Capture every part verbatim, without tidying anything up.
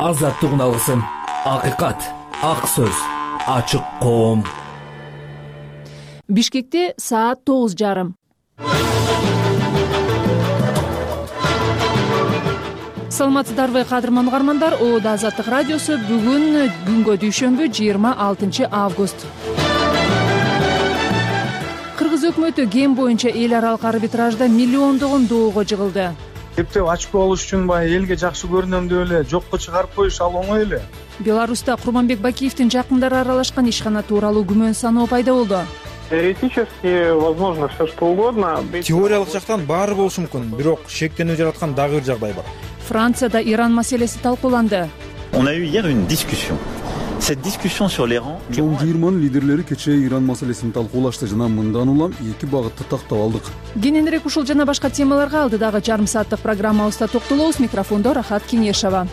азаттыгын алсын. Акыйкат, ак сөз, ачык коом. Бишкекте саат тогуз жарым. Саламатсыздарбы кадырман угармандар, Оодо Азаттык радиосу бүгүн күнгө дүйшөмбү жыйырма алтынчы август. Кыргыз өкмөтү ген боюнча эл аралык арбитражда миллиондогон доого жыгылды. Эптеп очко алыш үчүн баягы элге жакшы көрүнөм деп эле жокко чыгарып коюш ал оңой эле. Беларуста Курманбек Бакиевдин жакындары аралашкан ишкана тууралуу күмөн саноо пайда болду. Теоретически возможно все что угодно. Теориялык жактан баары болушу мүмкүн, бирок шектенүү жараткан дагы бир жагдай бар. Францияда Иран маселеси талкууланды. On a eu hier une discussion. Cette discussion sur l'Iran. Чоң жыйырманын лидерлери кечээ Иран маселесин талкуулашты жана мындан улам эки багытты тактап алдык. Кененирээк ушул жана башка темаларга алдыдагы жарым сааттык программабызда токтолобуз. Микрофондо Рахат Кеңешова.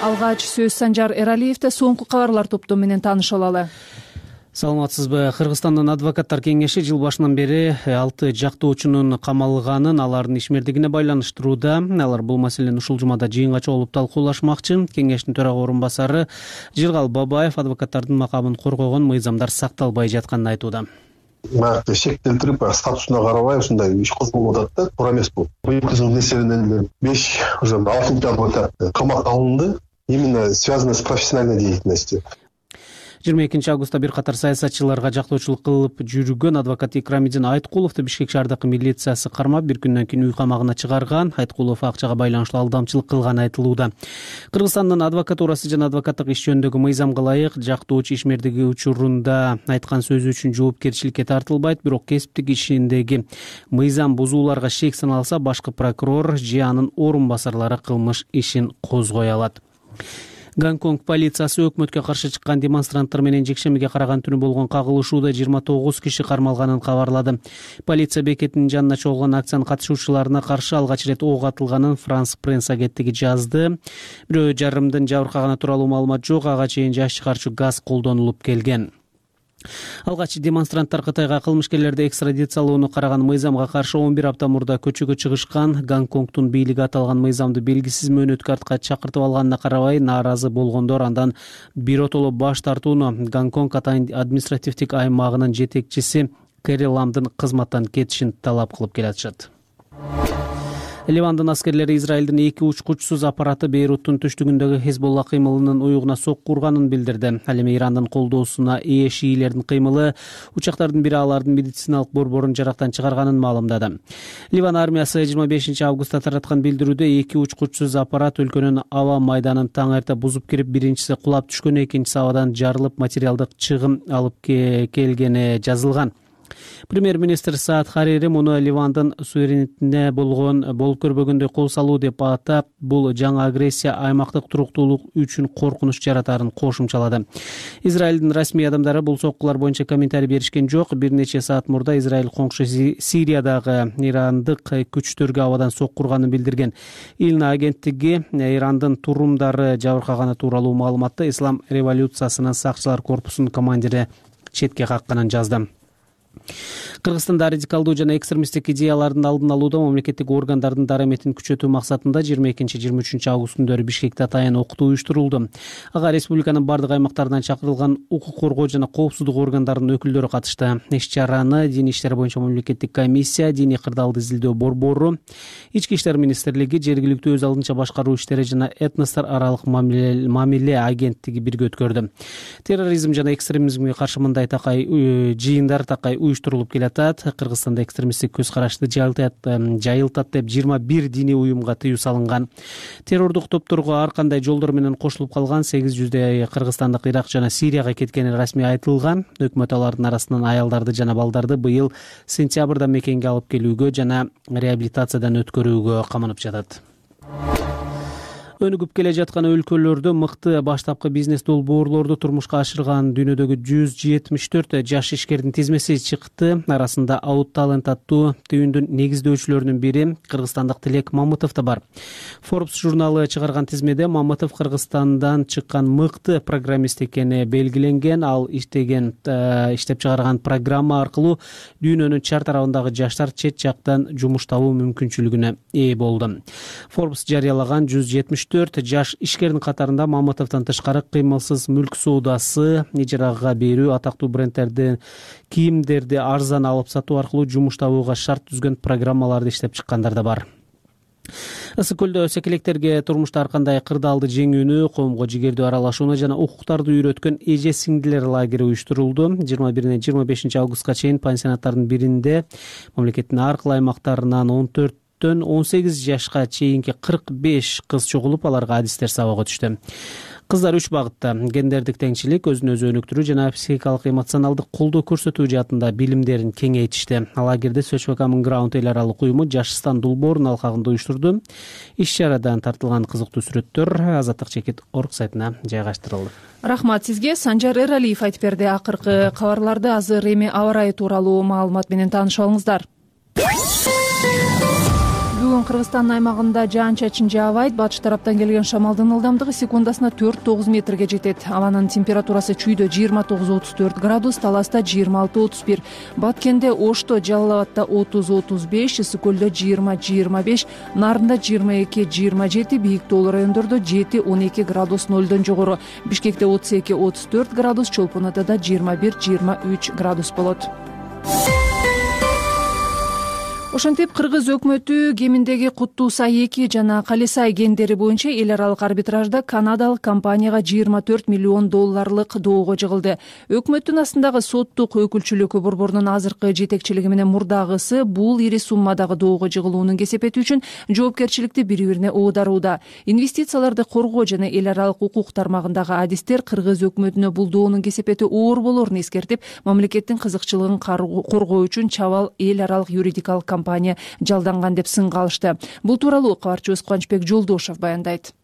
Алгач сөз Санжар Эралиевде, соңку кабарлар топтому менен таанышып алалы. Саламатсызбы. Кыргызстандын адвокаттар кеңеши жыл башынан бери алты жактоочунун камалганын алардын ишмердигине байланыштырууда. Алар бул маселени ушул жумада жыйынга чогулуп талкуулашмакчы. Кеңештин төрага орун басары Жыргал Бабаев адвокаттардын макамын коргогон мыйзамдар сакталбай жатканын айтууда. Марты шектелтирип, статусуна карабай ушундай иш козголуп атат да, туура эмес бул. Быйылкы жылдын эсебинен беш уже алтынчы адвокат камакка алынды, именно связано с профессиональной деятельностью. жыйырма экинчи августта бир катар саясатчыларга жактоочулук кылып жүргөн адвокат Икрамидин Айткуловду Бишкек шаардык милициясы кармап бир күндөн кийин үй камагына чыгарган. Айткулов акчага байланыштуу алдамчылык кылганы айтылууда. Кыргызстандын адвокатурасы жана адвокаттык иш жөнүндөгү мыйзамга ылайык жактоочу ишмердиги учурунда айткан сөзү үчүн жоопкерчиликке тартылбайт, бирок кесиптик ишиндеги мыйзам бузууларга шек саналса башкы прокурор же анын орун басарлары кылмыш ишин козгой алат. Гонконг полициясы өкмөткө каршы чыккан демонстранттар менен жекшембиге караган түнү болгон кагылышууда жыйырма тогуз киши кармалганын кабарлады. Полиция бекетинин жанына чогулган акциянын катышуучуларына каршы алгач ирет ок атылганын Франс пресс агенттиги жазды. Бирөө жарымдын жабыркаганы тууралуу маалымат жок, ага чейин жаш чыгарчу газ колдонулуп келген. Алгач демонстранттар Кытайга кылмышкерлерди экстрадициялоону караган мыйзамга каршы он бир апта мурда көчөгө чыгышкан. Гонконгдун бийлиги аталган мыйзамды белгисиз мөөнөткө артка чакыртып алганына карабай нааразы болгондор андан биротоло баш тартууну Гонконг атайын административдик аймагынын жетекчиси Кэри Ламдын кызматтан кетишин талап кылып келатышат. Ливандын аскерлери Израилдин эки учкучсуз аппараты Бейруттун түштүгүндөгү Хезболла кыймылынын уюгуна сокку урганын билдирди. Ал эми Ирандын колдоосуна ээ шиилердин кыймылы учактардын бири алардын медициналык борборун жарактан чыгарганын маалымдады. Ливан армиясы жыйырма бешинчи августта тараткан билдирүүдө эки учкучсуз аппарат өлкөнүн аба майданын таң эрте бузуп кирип, биринчиси кулап түшкөн, экинчиси абадан жарылып материалдык чыгым алып келгени жазылган. Премьер-министр Саад Харири муну Ливандын суверенитетине болгон болуп көрбөгөндөй кол салуу деп атап, бул жаңы агрессия аймактык туруктуулук үчүн коркунуч жаратарын кошумчалады. Израилдин расмий адамдары бул соккулар боюнча комментарий беришкен жок. Бир нече саат мурда Израиль коңшу Сириядагы ирандык күчтөргө абадан сокку урганын билдирген. Илна агенттиги Ирандын турумдары жабыркаганы тууралуу маалыматты Ислам революциясынын сакчылар корпусунун командири четке какканын жазды. Кыргызстанда радикалдуу жана экстремисттик идеялардын алдын алууда мамлекеттик органдардын дараметин күчөтүү максатында жыйырма экинчи жыйырма үчүнчү август күндөрү Бишкекте атайын окутуу уюштурулду. Ага республиканын бардык аймактарынан чакырылган укук коргоо жана коопсуздук органдарынын өкүлдөрү катышты. Иш-чараны Дин иштер боюнча мамлекеттик комиссия, диний кырдаалды изилдөө борбору, Ички иштер министрлиги, жергиликтүү өз алдынча башкаруу иштери жана этностор аралык мамиле агенттиги бирге өткөрдү. Терроризм жана экстремизмге каршы мындай такай жыйындар такай уюштурулуп келатат. Кыргызстанда экстремисттик көз карашты жайылтат деп жыйырма бир диний уюмга тыюу салынган. Террордук топторго ар кандай жолдор менен кошулуп калган сегиз жүздөй кыргызстандык Ирак жана Сирияга кеткени расмий айтылган. Өкмөт алардын арасынан аялдарды жана балдарды быйыл сентябрда мекенге алып келүүгө жана реабилитациядан өткөрүүгө каманып жатат. өнүгүп келе жаткан өлкөлөрдө мыкты баштапкы бизнес долбоорлорду турмушка ашырган дүйнөдөгү жүз жетимиш төрт жаш ишкердин тизмеси чыкты. Арасында Out Talent аттуу түйүндүн негиздөөчүлөрүнүн бири кыргызстандык Тилек Мамытов да бар. Forbes журналы чыгарган тизмеде Мамытов Кыргызстандан чыккан мыкты программист экени белгиленген. Ал иштеген иштеп чыгарган программа аркылуу дүйнөнүн чар тарабындагы жаштар чет жактан жумуш табуу мүмкүнчүлүгүнө ээ болду. Forbes жарыялаган жүз жетимиш төрт жаш ишкердин катарында Мамытовдон тышкары кыймылсыз мүлк соодасы, ижарага берүү, атактуу брендтерди кийимдерди арзан алып сатуу аркылуу жумуш табууга шарт түзгөн программаларды иштеп чыккандар да бар. Ысык көлдө секелектерге турмушта ар кандай кырдаалды жеңүүнү, коомго жигердүү аралашууну жана укуктарды үйрөткөн эже сиңдилер лагери уюштурулду. жыйырма биринен жыйырма бешинчи августка чейин пансионаттардын биринде мамлекеттин ар кыл аймактарынан он төрттөн он сегиз жашка чейинки кырк беш кыз чогулуп, аларга адистер сабакка түштү. Кыздар үч багытта: гендердик теңчилик, өзүн өзү өнүктүрүү жана психикалык эмоционалдык колдоо көрсөтүү жаатында билимдерин кеңейтишти. Лагерде Social Common Ground эл аралык уюму Жашстан долбоорунун алкагында уюштурду. Иш чарадан тартылган кызыктуу сүрөттөр Азаттык чекит орг сайтына жайгаштырылды. Рахмат сизге. Санжар Эралиев айтып берди. Акыркы кабарларды азыр эми аба ырайы тууралуу маалымат менен таанышып алыңыздар. Бүгүн Кыргызстандын аймагында жаан-чачын жаабайт. Батыш тараптан келген шамалдын ылдамдыгы секундасына төрт тогуз метрге жетет. Абанын температурасы чүйдө жыйырма тогуз отуз төрт градус, Таласта жыйырма алты отуз бир, Баткенде, Ошто, Жалал Абадта отуз отуз беш, Ысык көлдө жыйырма жыйырма беш, Нарында жыйырма эки жыйырма жети, бийик тоолуу райондордо жети он эки градус нолдон жогору, Бишкекте отуз эки отуз төрт градус, Чолпон Атада жыйырма бир жыйырма үч градус болот. Ошентип Кыргыз өкмөтү кеминдеги Куттуу Сай эки жана Кале Сай гендери боюнча эл аралык арбитражда канадалык компанияга жыйырма төрт миллион долларлык доого жыгылды. Өкмөттүн астындагы соттук өкүлчүлүккө борборунун азыркы жетекчилиги менен мурдагысы бул ири суммадагы доого жыгылуунун кесепети үчүн жоопкерчиликти бири-бирине оодарууда. Инвестицияларды коргоо жана эл аралык укук тармагындагы адистер Кыргыз өкмөтүнө бул доонун кесепети оор болоорун эскертип, мамлекеттин кызыкчылыгын коргоо үчүн чабал эл аралык юридикалык компания жалданган деп сынга алышты. Бул тууралуу кабарчыбыз Кубанычбек Жолдошов баяндайт.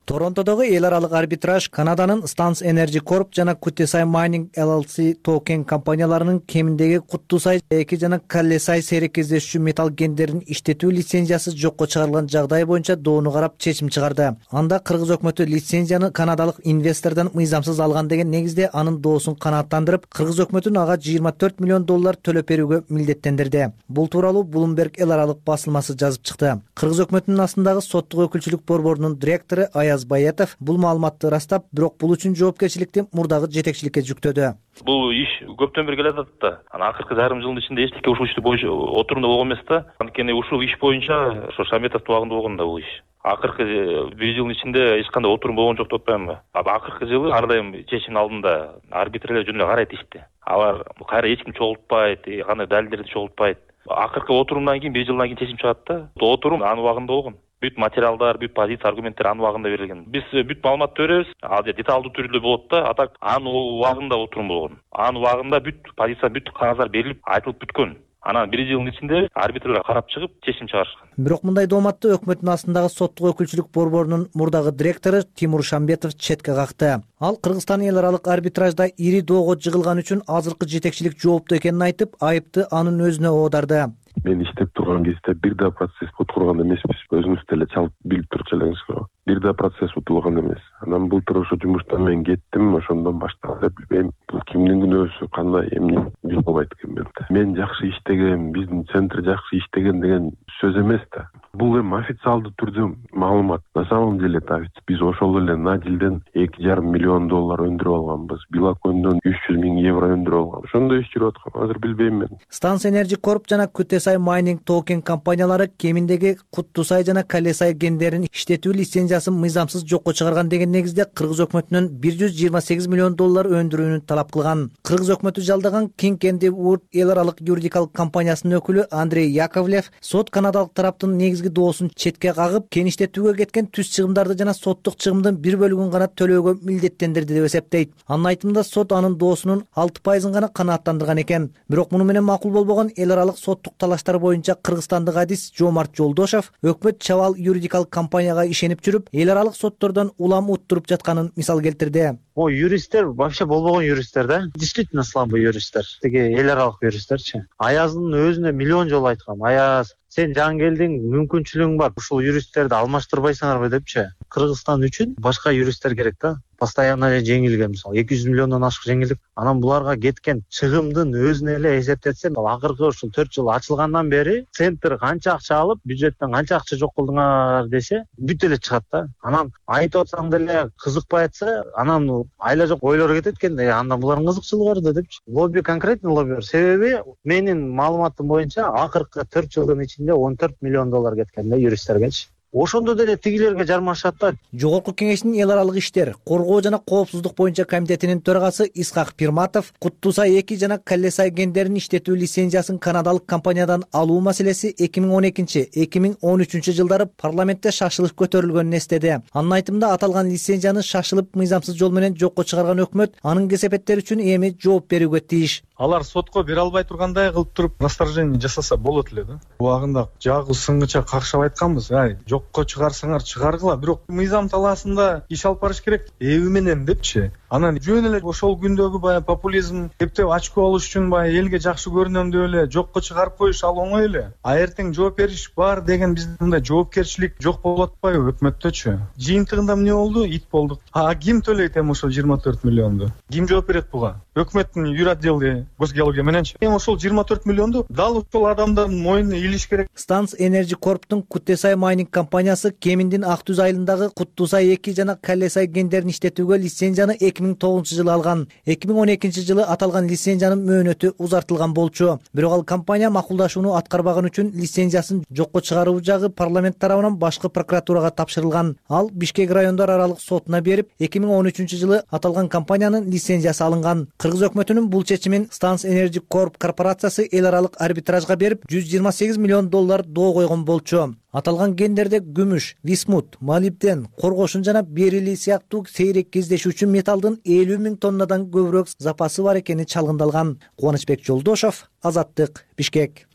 Торонтодогу эл аралык арбитраж Канаданын Stans Energy Corp жана Kuttesai Mining L L C токен компанияларынын кеминдеги Куттуу Сай эки жана Кале Сай сейрек кездешүүчү металл гендерин иштетүү лицензиясы жокко чыгарылган жагдай боюнча доону карап чечим чыгарды. Анда Кыргыз өкмөтү лицензияны канадалык инвестордон мыйзамсыз алган деген негизде анын доосун канааттандырып, Кыргыз өкмөтүн ага жыйырма төрт миллион доллар төлөп берүүгө милдеттендирди. Бул тууралуу Bloomberg эл аралык басылмасы жазып чыкты. Кыргыз өкмөтүнүн астындагы соттук өкүлчүлүк борборунун директору Аяз Баятов бул маалыматты растап, бирок бул үчүн жоопкерчиликти мурдагы жетекчиликке жүктөдү. Бул иш көптөн бери келе жатат да. Анан акыркы жарым жылдын ичинде эчтеке ушул ишти боюнча отурумда болгон эмес да. Анткени ушул иш боюнча ошо Шаметов убагында болгон да бул иш. Акыркы бир жылдын ичинде эч кандай отурум болгон жок деп атпаймынбы? Акыркы жылы ар дайым чечимдин алдында арбитрлер жөн эле карайт ишти. Алар кайра эч ким чогултпайт, кандай далилдерди чогултпайт. Акыркы отурумдан кийин бир жылдан кийин чечим чыгат да. Отурум анын убагында болгон. Бүт материалдар, бүт позиция, аргументтер анын убагында берилген. Биз бүт маалыматты беребиз. Ал же деталдуу түрдө болот да. Атак анын убагында отурум болгон. Анын убагында бүт позиция, бүт кагаздар берилип, айтылып бүткөн. Анан бир жылдын ичинде арбитрлер карап чыгып чечим чыгарышкан. Бирок мындай дооматты өкмөттүн астындагы соттук өкүлчүлүк борборунун мурдагы директору Тимур Шамбетов четке какты. Ал Кыргызстан эл аралык арбитражда ири доого жыгылган үчүн азыркы жетекчилик жооптуу экенин айтып, айыпты анын өзүнө оодарды. Мен иштеп турган кезде бир да процесс утурган эмеспиз. Өзүңүз деле чалып билип туруп элеңиз. Бир да процесс утулган эмес. Анан былтыр ошо жумуштан мен кеттим, ошондон башталды. Билбейм, бул кимдин күнөөсү, кандай эмне билбей албайт экенмин. Мен жакшы иштеген, биздин центр жакшы иштеген деген сөз эмес да. Бул эми официалдуу түрдө маалымат. На самом деле биз ошол эле Надилден эки жарым миллион доллар өндүрүп алганбыз. Билакондон үч жүз миң евро өндүрүп алган. Ошондой иш жүрүп аткан. Азыр билбейм мен. Stans Energy Corp жана Kuttesai Mining токен компаниялары кеминдеги Куттуу Сай жана Кале Сай гендерин иштетүү лицензиясын мыйзамсыз жокко чыгарган деген негизде Кыргыз өкмөтүнөн бир жүз жыйырма сегиз миллион доллар өндүрүүнү талап кылган. Кыргыз өкмөтү жалдаган King and Wood эл аралык юридикалык компаниясынын өкүлү Андрей Яковлев сот канадалык тараптын негизги доосун четке кагып, кен иштетүүгө кеткен түз чыгымдарды жана соттук чыгымдын бир бөлүгүн гана төлөөгө милдеттендирди деп эсептейт. Анын айтымында сот анын доосунун алты пайызын гана канааттандырган экен. Бирок муну менен макул болбогон эл аралык соттук талаштар боюнча кыргызстандык адис Жомарт Жолдошов өкмөт чабал юридикалык компанияга ишенип жүрүп, эл аралык соттордон улам уттуруп жатканын мисал келтирди. О, юристтер вообще болбогон юристтер да. Действительно слабый юристтер. Тиги эл аралык юристтерчи. Аяздын өзүнө миллион жолу айткам. Аяз, сен жаңы келдиң, мүмкүнчүлүгүң бар. Ушул юристтерди алмаштырбайсыңарбы депчи. Кыргызстан үчүн башка юристтер керек да. Постоянно жеңилген, мисалы эки жүз миллиондон ашык жеңилдик. Анан буларга кеткен чыгымдын өзүн эле эсептетсем, акыркы ушул төрт жыл ачылгандан бери центр канча акча алып, бюджеттен канча акча жок кылдыңар десе, бүт эле чыгат да. Анан айтып атсаң деле кызыкпай атса, анан айла жок ойлор кетет экен да, андан булардын кызыкчылыгы бар да депчи. Лобби, конкретный лобби бар. Себеби менин маалыматым боюнча акыркы төрт жылдын ичинде он төрт миллион доллар кеткен да юристтергечи. Ошондо деле тигилерге жармашат да. Жогорку кеңештин эл аралык иштер, коргоо жана коопсуздук боюнча комитетинин төрагасы Исхак Пирматов Куттусай эки жана Каллесай кендерин иштетүү лицензиясын канадалык компаниядан алуу маселеси эки миң он экинчи — эки миң он үчүнчү жылдары парламентте шашылып көтөрүлгөнүн эстеди. Анын айтымында аталган лицензияны шашылып мыйзамсыз жол менен жокко чыгарган өкмөт анын кесепеттери үчүн эми жооп берүүгө тийиш. Алар сотко бере албай тургандай кылып туруп расторжение жасаса болот эле да. Убагында жагы сыңгыча какшап айтканбыз. Ай, жокко чыгарсаңар чыгаргыла, бирок мыйзам талаасында иш алып барыш керек. Эби менен депчи. Анан жөн эле ошол күндөгү баягы популизм, эптеп ачкы болуш үчүн баягы элге жакшы көрүнөм деп эле жокко чыгарып коюш ал оңой эле. А эртең жооп бериш бар деген биздин мындай жоопкерчилик жок болуп атпайбы өкмөттөчү? Жыйынтыгында эмне болду? Ит болдук. А ким төлөйт эми ошол жыйырма төрт миллионду? Ким жооп берет буга? Өкмөттүн юротдели госгеология мененчи. Эми ошол жыйырма төрт миллионду дал ошол адамдардын мойнуна илиш керек. Станс Energy Corp'тун Куттусай майнинг компаниясы Кеминдин Ак Түз айылындагы Куттусай эки жана Каллесай кендерин иштетүүгө лицензияны эки миң тогузунчу жылы алган. эки миң он экинчи жылы аталган лицензиянын мөөнөтү узартылган болчу. Бирок ал компания макулдашууну аткарбаган үчүн лицензиясын жокко чыгаруу жагы парламент тарабынан башкы прокуратурага тапшырылган. Ал Бишкек райондор аралык сотуна берип, эки миң он үчүнчү жылы аталган компаниянын лицензиясы алынган. Кыргыз өкмөтүнүн бул чечимин Станс Energy Corp корпорациясы эл аралык арбитражга берип, жүз жыйырма сегиз миллион доллар доо койгон болчу. Аталган кендерде күмүш, висмут, молибден, коргошун жана берили сыяктуу сейрек кездешүүчү металдын элүү миң тоннадан көбүрөөк запасы бар экени чалгындалган. Кубанычбек Жолдошов, Азаттык, Бишкек.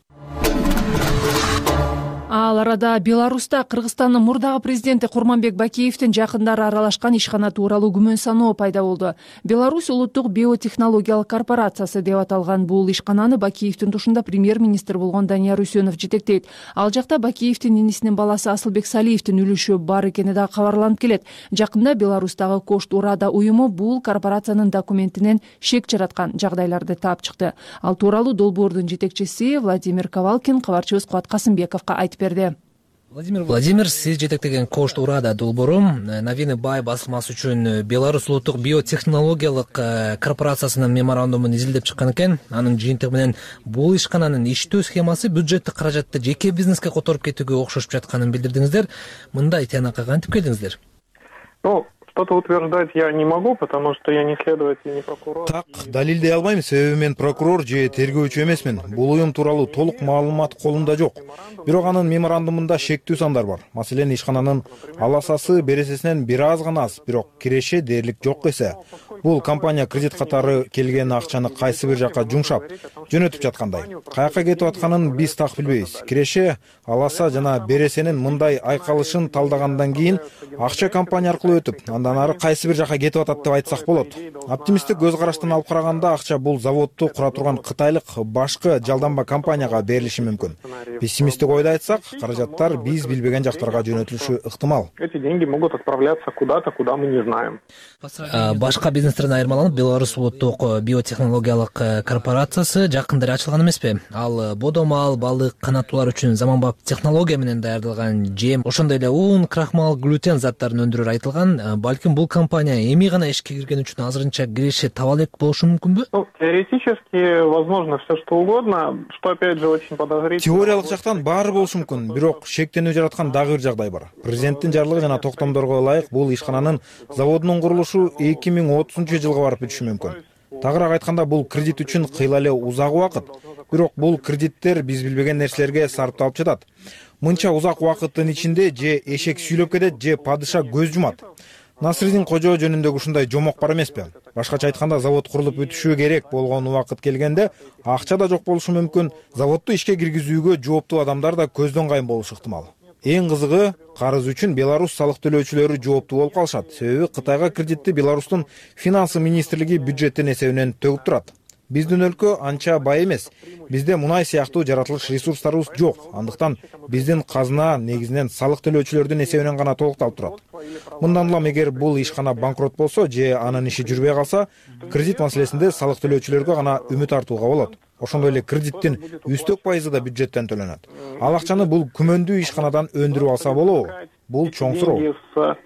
Ал арада Беларуста Кыргызстандын мурдагы президенти Курманбек Бакиевдин жакындары аралашкан ишкана тууралуу күмөн саноо пайда болду. Беларусь улуттук биотехнологиялык корпорациясы деп аталган бул ишкананы Бакиевдин тушунда премьер-министр болгон Данияр Үсөнов жетектейт. Ал жакта Бакиевдин инисинин баласы Асылбек Салиевдин үлүшү бар экени да кабарланып келет. Жакында Беларустагы Кошт Урада уюму бул корпорациянын документинен шек жараткан жагдайларды таап чыкты. Ал тууралуу долбоордун жетекчиси Владимир Ковалкин кабарчыбыз Кубат Касымбековго айтып берди. Владимир Владимир, сиз жетектеген Кошт Урада долбоору Новины Бай басылмасы үчүн Беларусь улуттук биотехнологиялык корпорациясынын меморандумун изилдеп чыккан экен. Анын жыйынтыгы менен бул ишкананын иштөө схемасы бюджеттик каражатты жеке бизнеске которуп кетүүгө окшошуп жатканын билдирдиңиздер. Мындай тыянакка кантип келдиңиздер? Ну, что-то утверждать я не могу, потому что я не следователь, не прокурор. Так, далилдей албайм, себеби мен прокурор же тергөөчү эмесмин. Бул уюм тууралуу толук маалымат колумда жок. Бирок анын меморандумунда шектүү сандар бар. Маселен, ишкананын аласасы бересесинен бир аз гана аз, бирок киреше дээрлик жок эсе. Бул компания кредит катары келген акчаны кайсы бир жакка жумшап, жөнөтүп жаткандай. Каяка кетип атканын биз так билбейбиз. Киреше, аласа жана бересенин мындай айкалышын талдагандан кийин акча компания аркылуу өтүп, андан ары кайсы бир жакка кетип атат деп айтсак болот. Оптимисттик көз караштан алып караганда акча бул заводду кура турган кытайлык башкы жалданба компанияга берилиши мүмкүн. Пессимисттик ойду айтсак, каражаттар биз билбеген жактарга жөнөтүлүшү ыктымал. Эти деньги могут отправляться куда-то, куда мы не знаем. Башка бизнестерден айырмаланып, Беларусь улуттук биотехнологиялык корпорациясы жакында эле ачылган эмеспи? Ал бодомал, балык, канаттуулар үчүн заманбап технология менен даярдалган жем, ошондой эле ун, крахмал, глютен заттарын өндүрөр айтылган. Балким бул компания эми гана ишке кирген үчүн азырынча киреше таба элек болушу мүмкүнбү? Ну, теоретически возможно все что угодно, что опять же очень подозрительно. Теориялык жактан баары болушу мүмкүн, бирок шектенүү жараткан дагы бир жагдай бар. Президенттин жарлыгы жана токтомдорго ылайык бул ишкананын заводунун курулушу эки миң отузунчу жылга барып бүтүшү мүмкүн. Тагыраак айтканда, бул кредит үчүн кыйла эле узак убакыт. Бирок бул кредиттер биз билбеген нерселерге сарпталып жатат. Мынча узак убакыттын ичинде же эшек сүйлөп кетет, же падыша көз жумат. Насырдин кожо жөнүндөгү ушундай жомок бар эмеспи? Башкача айтканда, завод курулуп бүтүшү керек болгон убакыт келгенде акча да жок болушу мүмкүн, заводду ишке киргизүүгө жооптуу адамдар да көздөн кайын болушу ыктымал. Эң кызыгы, карыз үчүн Беларусь салык төлөөчүлөрү жооптуу болуп калышат. Себеби Кытайга кредитти Беларустун финансы министрлиги бюджеттин эсебинен төгүп турат. Биздин өлкө анча бай эмес. Бизде мунай сыяктуу жаратылыш ресурстарыбыз жок. Андыктан биздин казына негизинен салык төлөөчүлөрдүн эсебинен гана толукталып турат. Мындан улам эгер бул ишкана банкрот болсо же анын иши жүрбөй калса, кредит маселесинде салык төлөөчүлөргө гана үмүт артууга болот. Ошондой эле кредиттин үстөк пайызы да бюджеттен төлөнөт. Ал акчаны бул күмөндүү ишканадан өндүрүп алса болобу? Бул чоң суроо.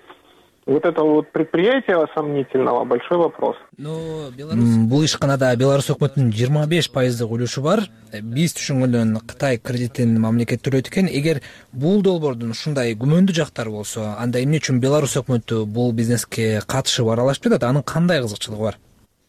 Вот этого вот предприятия сомнительного большой вопрос. Бул ишканада Беларусь өкмөтүнүн жыйырма беш пайыздык үлүшү бар. Биз түшүнгөндөн Кытай кредитин мамлекет төлөйт экен. Эгер бул долбоордун ушундай күмөндүү жактары болсо, анда эмне үчүн Беларусь өкмөтү бул бизнеске катышып аралашып жатат? Анын кандай кызыкчылыгы бар?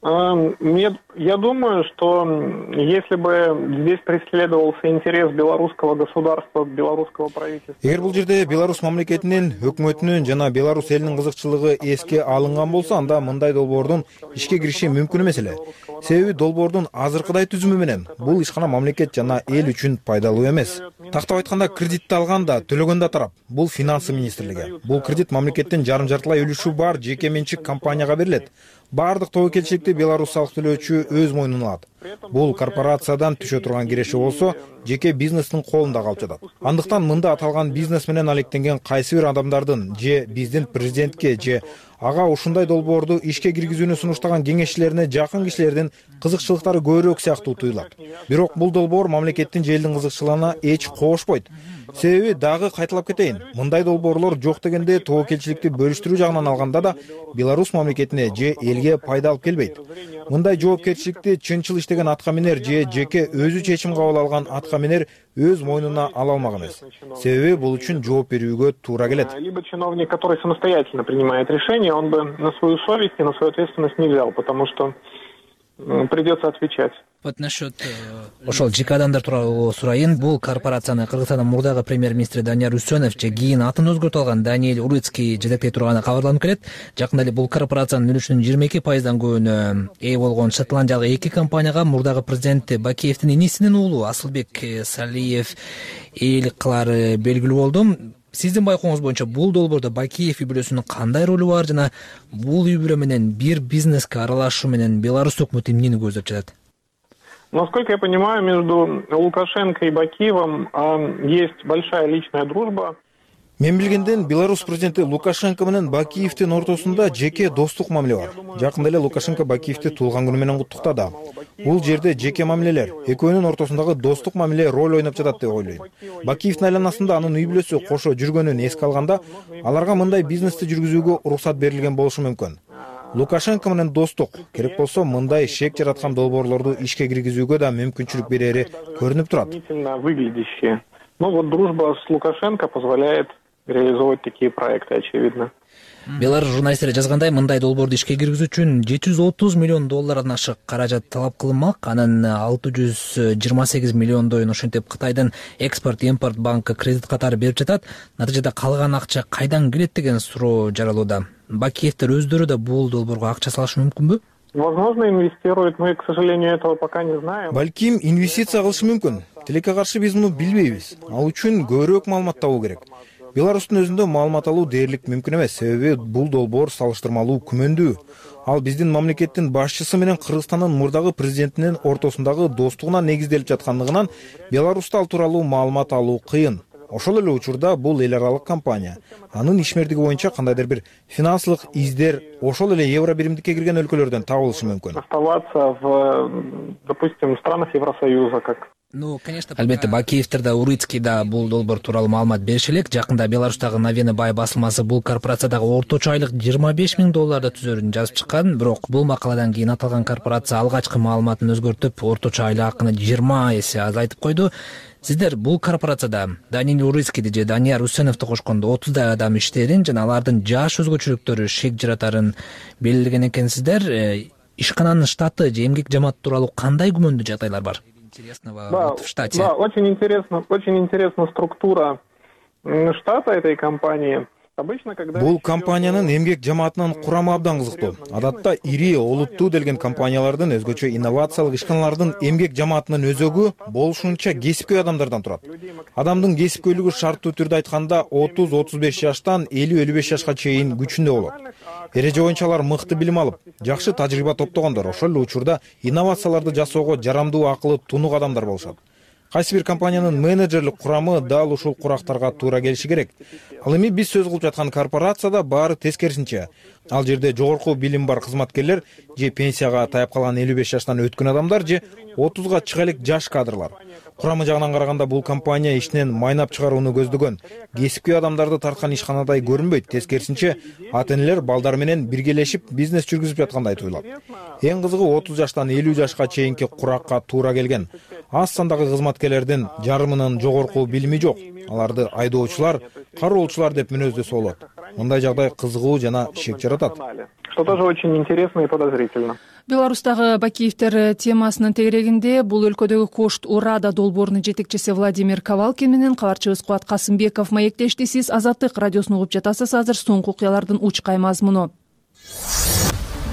Я думаю, что если бы здесь преследовался интерес белорусского государства, белорусского правительства... Эгер бул жерде Беларусь мамлекетинин, өкмөтүнүн жана Беларусь элинин кызыкчылыгы эске алынган болсо, анда мындай долбоордун ишке кириши мүмкүн эмес эле. Себеби долбоордун азыркыдай түзүмү менен бул ишкана мамлекет жана эл үчүн пайдалуу эмес. Тактап айтканда, кредитти алган да, төлөгөн да тарап бул финансы министрлиги. Бул кредит мамлекеттин жарым-жартылай үлүшү бар жеке менчик компанияга берилет. Бардык тобокелчиликти Беларусь салык төлөөчү өз мойнуна алат. Бул корпорациядан түшө турган киреши болсо, жеке бизнестин колунда калып жатат. Андыктан мында аталган бизнес менен алектенген кайсы бир адамдардын же биздин президентке же ага ушундай долбоорду ишке киргизүүнү сунуштаган кеңешчилерине жакын кишилердин кызыкчылыктары көбүрөөк сыяктуу туюлат. Бирок бул долбоор мамлекеттин же элдин кызыкчылыгына эч кошпойт. Себеби дагы кайталап кетейин, мындай долбоорлор жок дегенде тобокелчиликти бөлүштүрүү жагынан алганда да Беларусь мамлекетине же элге пайда алып келбейт. Мындай жоопкерчиликти чынчыл иштеген атка минер же жеке өзү чечим кабыл алган атка минер өз мойнуна ала алмак эмес. Себеби бул үчүн жооп берүүгө туура келет. Либо чиновник, который самостоятельно принимает решение, он бы на свою совесть и на свою ответственность не взял, потому что придется отвечать. Ошол жеке адамдар тууралуу сурайын. Бул корпорацияны Кыргызстандын мурдагы премьер-министри Данияр Үсөнов же кийин атын өзгөртүп алган Даниэль Уруцкий жетектей турганы кабарланып келет. Жакында эле бул корпорациянын үлүшүнүн жыйырма эки пайыздан көбүнө ээ болгон шотландиялык эки компанияга мурдагы президент Бакиевдин инисинин уулу Асылбек Салиев ээлик кылары белгилүү болду. Сиздин байкооңуз боюнча бул долбоордо Бакиев үй бүлөсүнүн кандай ролу бар жана бул үй бүлө менен бир бизнеске аралашуу менен Беларусь өкмөтү эмнени көздөп жатат? Насколько я понимаю, между Лукашенко и Бакиевым есть большая личная дружба. Мен билгенден Беларусь президенти Лукашенко менен Бакиевдин ортосунда жеке достук мамиле бар. Жакында эле Лукашенко Бакиевди туулган күнү менен куттуктады. Бул жерде жеке мамилелер, экөөнүн ортосундагы достук мамиле роль ойноп жатат деп ойлойм. Бакиевдин айланасында анын үй бүлөсү кошо жүргөнүн эске алганда, аларга мындай бизнести жүргүзүүгө уруксат берилген болушу мүмкүн. Лукашенко менен достук, керек болсо мындай шек жараткан долбоорлорду ишке киргизүүгө да мүмкүнчүлүк берери көрүнүп турат. Ну вот дружба с Лукашенко позволяет реализовать такие проекты, очевидно. Беларусь журналисттери жазгандай, мындай долбоорду ишке киргизүү үчүн жети жүз отуз миллион доллардан ашык каражат талап кылынмак. Анын алты жүз жыйырма сегиз миллиондойун ошентип Кытайдын экспорт-импорт банкы кредит катары берип жатат. Натыйжада калган акча кайдан келет деген суроо жаралууда. Бакиевдер өздөрү да бул долбоорго акча салышы мүмкүнбү? Возможно, инвестируют, мы, к сожалению, этого пока не знаем. Балким инвестиция кылышы мүмкүн. Тилекке каршы биз муну билбейбиз. Ал үчүн көбүрөөк маалымат табуу керек. Беларустун өзүндө маалымат алуу дээрлик мүмкүн эмес, себеби бул долбоор салыштырмалуу күмөндүү. Ал биздин мамлекеттин башчысы менен Кыргызстандын мурдагы президентинин ортосундагы достугуна негизделип жаткандыгынан Беларусьта ал тууралуу маалымат алуу кыйын. Ошол эле учурда бул эл аралык компания. Анын ишмердиги боюнча кандайдыр бир финансылык издер ошол эле евро биримдикке кирген өлкөлөрдөн табылышы мүмкүн. Оставаться в, допустим, странах Евросоюза как. Ну, конечно, албетте Бакиевдер да, Уруцкий да бул долбоор тууралуу маалымат бериши элек. Жакында Беларустагы Новини бай басылмасы бул корпорациядагы орточо айлык жыйырма беш миң долларды түзөрүн жазып чыккан. Бирок бул макаладан кийин аталган корпорация алгачкы маалыматын өзгөртүп, орточо айлык акыны жыйырма эсе азайтып койду. Сиздер бул корпорацияда Даниэль Уруцкийди же Данияр Үсөновду кошкондо отуздай адам иштээрин жана алардын жаш өзгөчөлүктөрү шек жаратарын белгилеген экенсиздер. Ишкананын штаты же эмгек жамааты тууралуу кандай күмөндүү жагдайлар бар? Да, в штате. Да, очень интересно, очень интересна структура штата этой компании. Бул компаниянын эмгек жамаатынын курамы абдан кызыктуу. Адатта ири, олуттуу делген компаниялардын, өзгөчө инновациялык ишканалардын эмгек жамаатынын өзөгү болушунча кесипкөй адамдардан турат. Адамдын кесипкөйлүгү шарттуу түрдө айтканда отуз отуз беш жаштан элүү элүү беш жашка чейин күчүндө болот. Эреже боюнча алар мыкты билим алып, жакшы тажрыйба топтогондор, ошол эле учурда инновацияларды жасоого жарамдуу акылы тунук адамдар болушат. Кайсы бир компаниянын менеджерлик курамы дал ушул курактарга туура келиши керек. Ал эми биз сөз кылып жаткан корпорацияда баары тескерисинче. Ал жерде жогорку билим бар кызматкерлер же пенсияга таяп калган элүү беш жаштан өткөн адамдар же отузга чыга элек жаш кадрлар. Курамы жагынан караганда бул компания ишинен майнап чыгарууну көздөгөн. Кесипкөй адамдарды тарткан ишканадай көрүнбөйт. Тескерисинче, ата-энелер балдар менен биргелешип бизнес жүргүзүп жаткандай туюлат. Эң кызыгы отуз жаштан элүү жашка чейинки куракка туура келген. Аз сандагы кызматкерлердин жарымынын жогорку билими жок. Аларды айдоочулар, кароолчулар деп мүнөздөсө болот. Мындай жагдай кызыгуу жана шек жаратат. Что тоже очень интересно и подозрительно. Беларустагы Бакиевтер темасынын тегерегинде бул өлкөдөгү Кошт Урада долбоорунун жетекчиси Владимир Ковалкин менен кабарчыбыз Кубат Касымбеков маектешти. Сиз Азаттык радиосун угуп жатасыз. Азыр соңку окуялардын учкай мазмуну.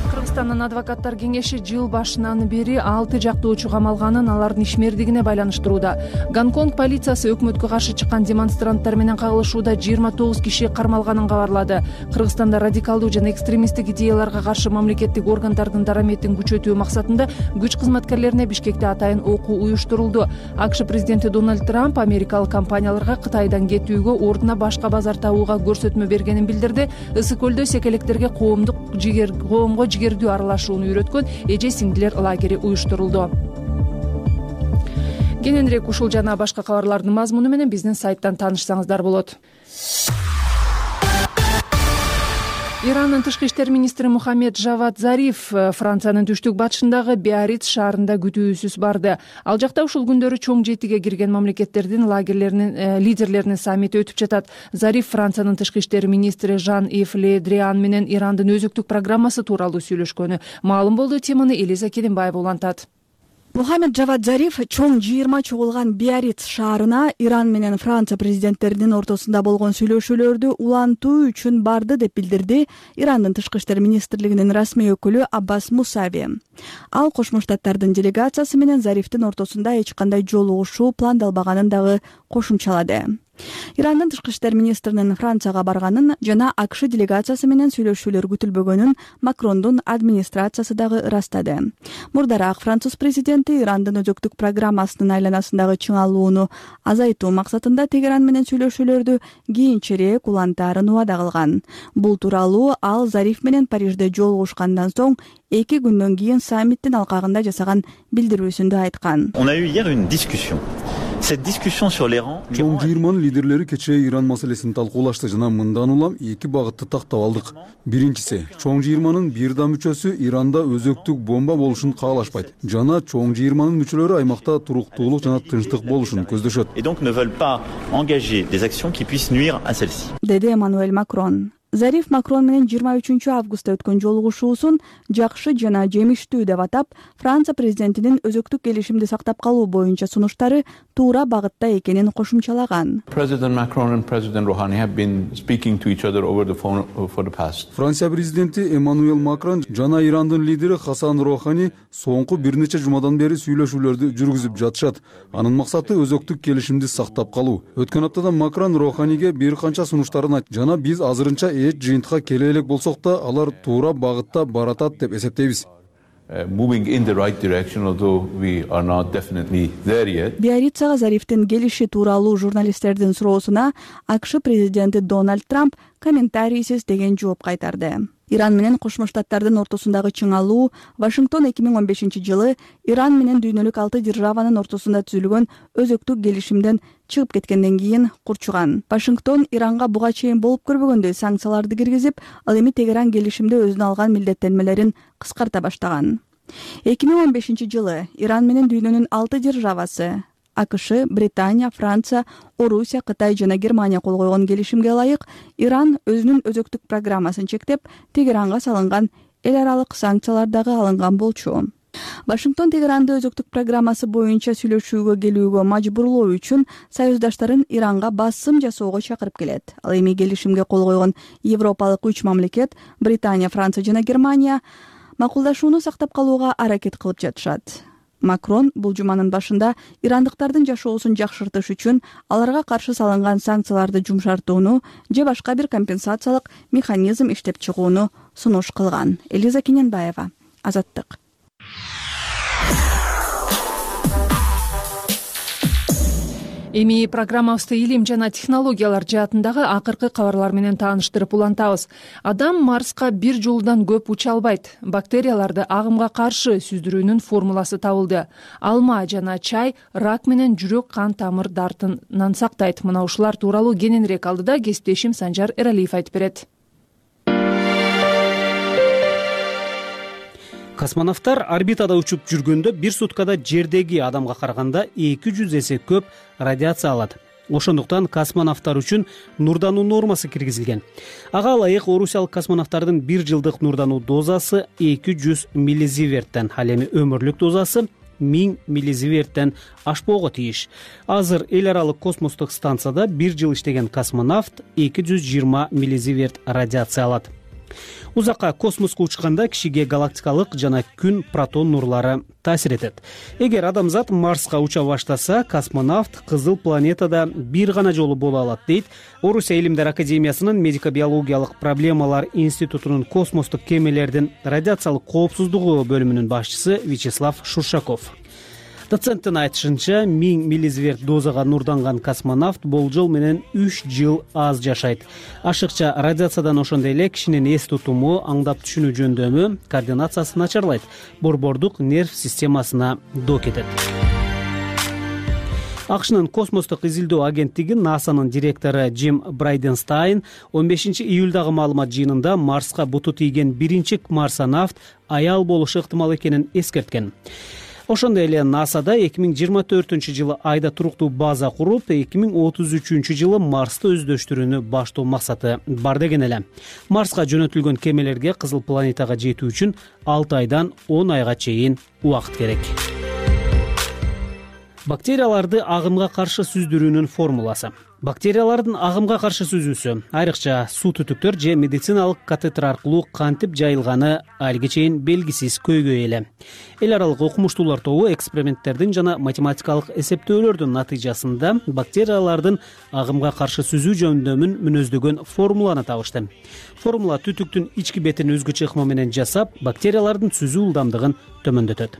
Кыргызстандын адвокаттар кеңеши жыл башынан бери алты жактоочу камалганын алардын ишмердигине байланыштырууда. Гонконг полициясы өкмөткө каршы чыккан демонстранттар менен кагылышууда жыйырма тогуз киши кармалганын кабарлады. Кыргызстанда радикалдуу жана экстремисттик идеяларга каршы мамлекеттик органдардын дараметин күчөтүү максатында күч кызматкерлерине Бишкекте атайын окуу уюштурулду. АКШ президенти Дональд Трамп америкалык компанияларга Кытайдан кетүүгө, ордуна башка базар табууга көрсөтмө бергенин билдирди. Ысык көлдө секелектерге коомдук жигер коомго жигердүү аралашууну үйрөткөн эже сиңдилер лагери уюштурулду. Кененирээк ушул жана башка кабарлардын мазмуну менен биздин сайттан таанышсаңыздар болот. Ирандын тышкы иштер министри Мухаммед Жавад Зариф Франциянын түштүк батышындагы Биарриц шаарында күтүүсүз барды. Ал жакта ушул күндөрү чоң жетиге кирген мамлекеттердин лагерлеринин лидерлеринин саммити өтүп жатат. Зариф Франциянын тышкы иштер министри Жан-Ив Ле Дриан менен Ирандын өзүктүк программасы тууралуу сүйлөшкөнү маалым болду. Теманы Элиза Келимбаева улантат. Мухаммед Жавад Зариф чоң жыйырма чогулган Биарриц шаарына Иран менен Франция президенттеринин ортосунда болгон сүйлөшүүлөрдү улантуу үчүн барды деп билдирди Ирандын тышкы иштер министрлигинин расмий өкүлү Аббас Мусави. Ал Кошмо Штаттардын делегациясы менен Зарифтин ортосунда эч кандай жолугушуу пландалбаганын дагы кошумчалады. Ирандын тышкы иштер министринин Францияга барганын жана АКШ делегациясы менен сүйлөшүүлөр күтүлбөгөнүн Макрондун администрациясы дагы ырастады. Мурдараак француз президенти Ирандын өзөктүк программасынын айланасындагы чыңалууну азайтуу максатында Тегеран менен сүйлөшүүлөрдү кийинчерээк улантаарын убада кылган. Бул тууралуу ал Зариф менен Парижде жолугушкандан соң эки күндөн кийин саммиттин алкагында жасаган билдирүүсүндө айткан. On a eu hier une discussion. Cette discussion sur l'Iran. Чоң жыйырманын лидерлери кечээ Иран маселесин талкуулашты жана мындан улам эки багытты тактап алдык. Биринчиси, чоң жыйырманын бир да мүчөсү Иранда өзөктүк бомба болушун каалашпайт жана чоң жыйырманын мүчөлөрү аймакта туруктуулук жана тынчтык болушун көздөшөт. Et donc ne veulent pas engager des actions qui puissent nuire à celle-ci. Деди Эммануэль Макрон. Зариф Макрон менен жыйырма үчүнчү августта өткөн жолугушуусун жакшы жана жемиштүү деп атап, Франция президентинин өзөктүк келишимди сактап калуу боюнча сунуштары туура багытта экенин кошумчалаган. President Macron and President Rouhani have been speaking to each other over the phone for the past. Франция президенти Эммануэль Макрон жана Ирандын лидери Хасан Роухани соңку бир нече жумадан бери сүйлөшүүлөрдү жүргүзүп жатышат. Анын максаты өзөктүк келишимди сактап калуу. Өткөн аптада Макрон Роуханиге бир канча сунуштарын айтты жана биз азырынча эч жыйынтыкка келе элек болсок да, алар туура багытта баратат деп эсептейбиз. Moving in the right direction, although we are not definitely there yet. Биаррицага Зарифтин келиши тууралуу журналисттердин суроосуна АКШ президенти Дональд Трамп комментарийсиз деген жооп кайтарды. Иран менен Кошмо Штаттардын ортосундагы чыңалуу Вашингтон эки миң он бешинчи жылы Иран менен дүйнөлүк алты державанын ортосунда түзүлгөн өзөктүк келишимден чыгып кеткенден кийин курчуган. Вашингтон Иранга буга чейин болуп көрбөгөндөй санкцияларды киргизип, ал эми Тегеран келишимде өзүнө алган милдеттенмелерин кыскарта баштаган. эки миң он бешинчи жылы Иран менен дүйнөнүн алты державасы АКШ, Британия, Франция, Орусия, Кытай жана Германия кол койгон келишимге ылайык Иран өзүнүн өзөктүк программасын чектеп, Тегеранга салынган эл аралык санкциялар дагы алынган болчу. Вашингтон Тегеранды өзөктүк программасы боюнча сүйлөшүүгө келүүгө мажбурлоо үчүн союздаштарын Иранга басым жасоого чакырып келет. Ал эми келишимге кол койгон европалык үч мамлекет — Британия, Франция жана Германия — макулдашууну сактап калууга аракет кылып жатышат. Макрон бул жуманын башында ирандыктардын жашоосун жакшыртыш үчүн аларга каршы салынган санкцияларды жумшартууну же башка бир компенсациялык механизм иштеп чыгууну сунуш кылган. Элиза Кененбаева, Азаттык. Эми программабызды илим жана технологиялар жаатындагы акыркы кабарлар менен тааныштырып улантабыз. Адам Марска бир жолудан көп уча албайт. Бактерияларды агымга каршы сүздүрүүнүн формуласы табылды. Алма жана чай рак менен жүрөк кан тамыр дартынан сактайт. Мына ушулар тууралуу кененирээк алдыда кесиптешим Санжар Эралиев айтып берет. Космонавттар орбитада учуп жүргөндө бир суткада жердеги адамга караганда эки жүз эсе көп радиация алат. Ошондуктан космонавттар үчүн нурдануу нормасы киргизилген. Ага ылайык орусиялык космонавттардын бир жылдык нурдануу дозасы эки жүз миллизиверттен, ал эми өмүрлүк дозасы миң миллизиверттен ашпоого тийиш. Азыр эл аралык космостук станцияда бир жыл иштеген космонавт эки жүз жыйырма миллизиверт радиация алат. Узакка космоско учканда кишиге галактикалык жана күн протон нурлары таасир этет. Эгер адамзат Марска уча баштаса, космонавт кызыл планетада бир гана жолу боло алат, дейт Орусия Илимдер академиясынын медико-биологиялык проблемалар институтунун космостук кемелердин радиациялык коопсуздугу бөлүмүнүн башчысы Вячеслав Шуршаков. Доценттин айтышынча, миң миллизиверт дозага нурданган космонавт болжол менен үч жыл аз жашайт. Ашыкча радиациядан ошондой эле кишинин эс тутуму, аңдап түшүнүү жөндөмү, координациясы начарлайт, борбордук нерв системасына доо кетет. АКШнын космостук изилдөө агенттиги НАСАнын директору Джим Брайденстайн он бешинчи июлдагы маалымат жыйынында Марска буту тийген биринчи марсонавт аял болушу ыктымал экенин эскерткен. Ошондой эле НАСАда эки миң жыйырма төртүнчү жылы айда туруктуу база куруп, эки миң отуз үчүнчү жылы Марсты өздөштүрүүнү баштоо максаты бар деген эле. Марска жөнөтүлгөн кемелерге кызыл планетага жетүү үчүн алты айдан он айга чейин убакыт керек. Бактерияларды агымга каршы сүздүрүүнүн формуласы. Бактериялардын агымга каршы сүзүүсү, айрыкча суу түтүктөр же медициналык катетер аркылуу кантип жайылганы алиге чейин белгисиз көйгөй эле. Эл аралык окумуштуулар тобу эксперименттердин жана математикалык эсептөөлөрдүн натыйжасында бактериялардын агымга каршы сүзүү жөндөмүн мүнөздөгөн формуланы табышты. Формула түтүктүн ички бетин өзгөчө ыкма менен жасап, бактериялардын сүзүү ылдамдыгын төмөндөтөт.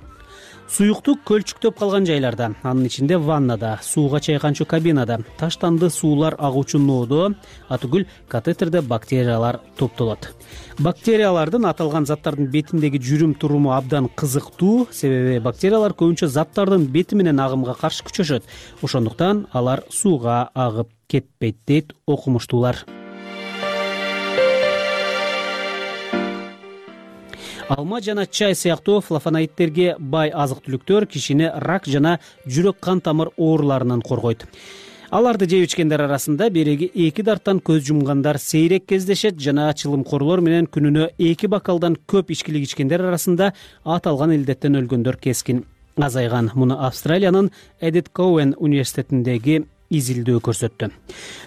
Суюктук көлчүктөп калган жайларда, анын ичинде ваннада, сууга чайканчу кабинада, таштанды суулар агуучу ноодо, атүгүл катетерде бактериялар топтолот. Бактериялардын аталган заттардын бетиндеги жүрүм туруму абдан кызыктуу, себеби бактериялар көбүнчө заттардын бети менен агымга каршы күчөшөт. Ошондуктан алар сууга агып кетпейт, дейт окумуштуулар. Алма жана чай сыяктуу флавоноидтерге бай азык-түлүктөр кишини рак жана жүрөк кан тамыр ооруларынан коргойт. Аларды жеп ичкендер арасында береги эки дарттан көз жумгандар сейрек кездешет жана чылымкорлор менен күнүнө эки бокалдан көп ичкилик ичкендер арасында аталган илдеттен өлгөндөр кескин азайган. Муну Австралиянын Эдит Коуэн университетиндеги изилдөө көрсөттү.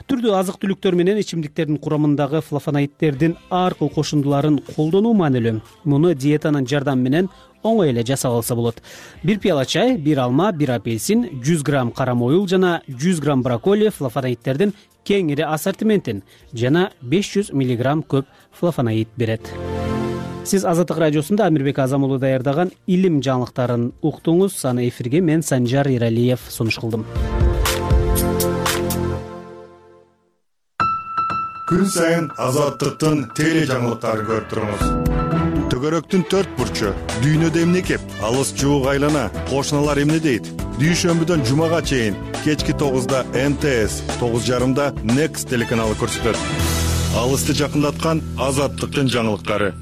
Түрдүү азык-түлүктөр менен ичимдиктердин курамындагы флавоноидтердин ар кыл кошундуларын колдонуу маанилүү. Муну диетанын жардамы менен оңой эле жасап алса болот. Бир пияла чай, бир алма, бир апельсин, жүз грамм кара моюл жана жүз грамм брокколи флавоноидтердин кеңири ассортиментин жана беш жүз миллиграмм көп флавоноид берет. Сиз Азаттык радиосунда Амирбек Азам уулу даярдаган илим жаңылыктарын уктуңуз. Аны эфирге мен Санжар Иралиев сунуш кылдым. Күн сайын Азаттыктын теле жаңылыктарын көрүп туруңуз. Төгөрөктүн төрт бурчу, дүйнөдө эмне кеп, алыс жуук айлана, кошуналар эмне дейт? Дүйшөмбүдөн жумага чейин кечки тогузда М Т С, тогуз жарымда Next телеканалы көрсөтөт. Алысты жакындаткан Азаттыктын жаңылыктары.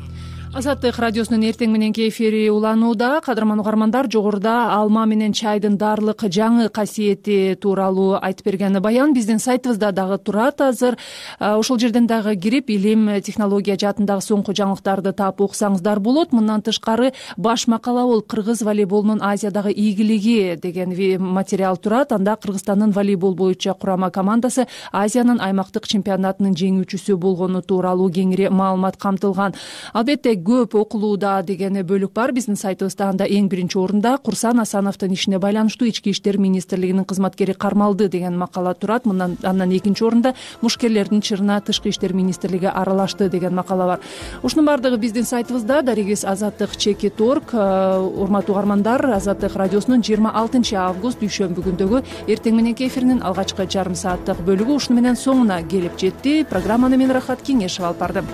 Азаттык радиосунун эртең мененки эфири уланууда. Кадырман угармандар, жогоруда алма менен чайдын даарылык жаңы касиети тууралуу айтып берген баян биздин сайтыбызда дагы турат азыр. Ошол жерден дагы кирип, илим, технология жаатындагы соңку жаңылыктарды таап окусаңыздар болот. Мындан тышкары баш макала бол кыргыз волейболунун Азиядагы ийгилиги деген материал турат. Анда Кыргызстандын волейбол боюнча курама командасы Азиянын аймактык чемпионатынын жеңүүчүсү болгону тууралуу кеңири маалымат камтылган. Албетте көп окулууда деген бөлүк бар. Биздин сайтыбызда анда эң биринчи орунда Курсан Асановдун ишине байланыштуу Ички иштер министрлигинин кызматкери кармалды деген макала турат. Мындан андан экинчи орунда мушкерлердин чырына Тышкы иштер министрлиги аралашты деген макала бар. Ушунун баардыгы биздин сайтыбызда. Дарегиз азаттык чеки торг. Урматтуу угармандар, Азаттык радиосунун жыйырма алтынчы август дүйшөмбү күндөгү эртең мененки эфиринин алгачкы жарым сааттык бөлүгү ушуну менен соңуна келип жетти. Программаны мен Рахат Кеңешева алып бардым.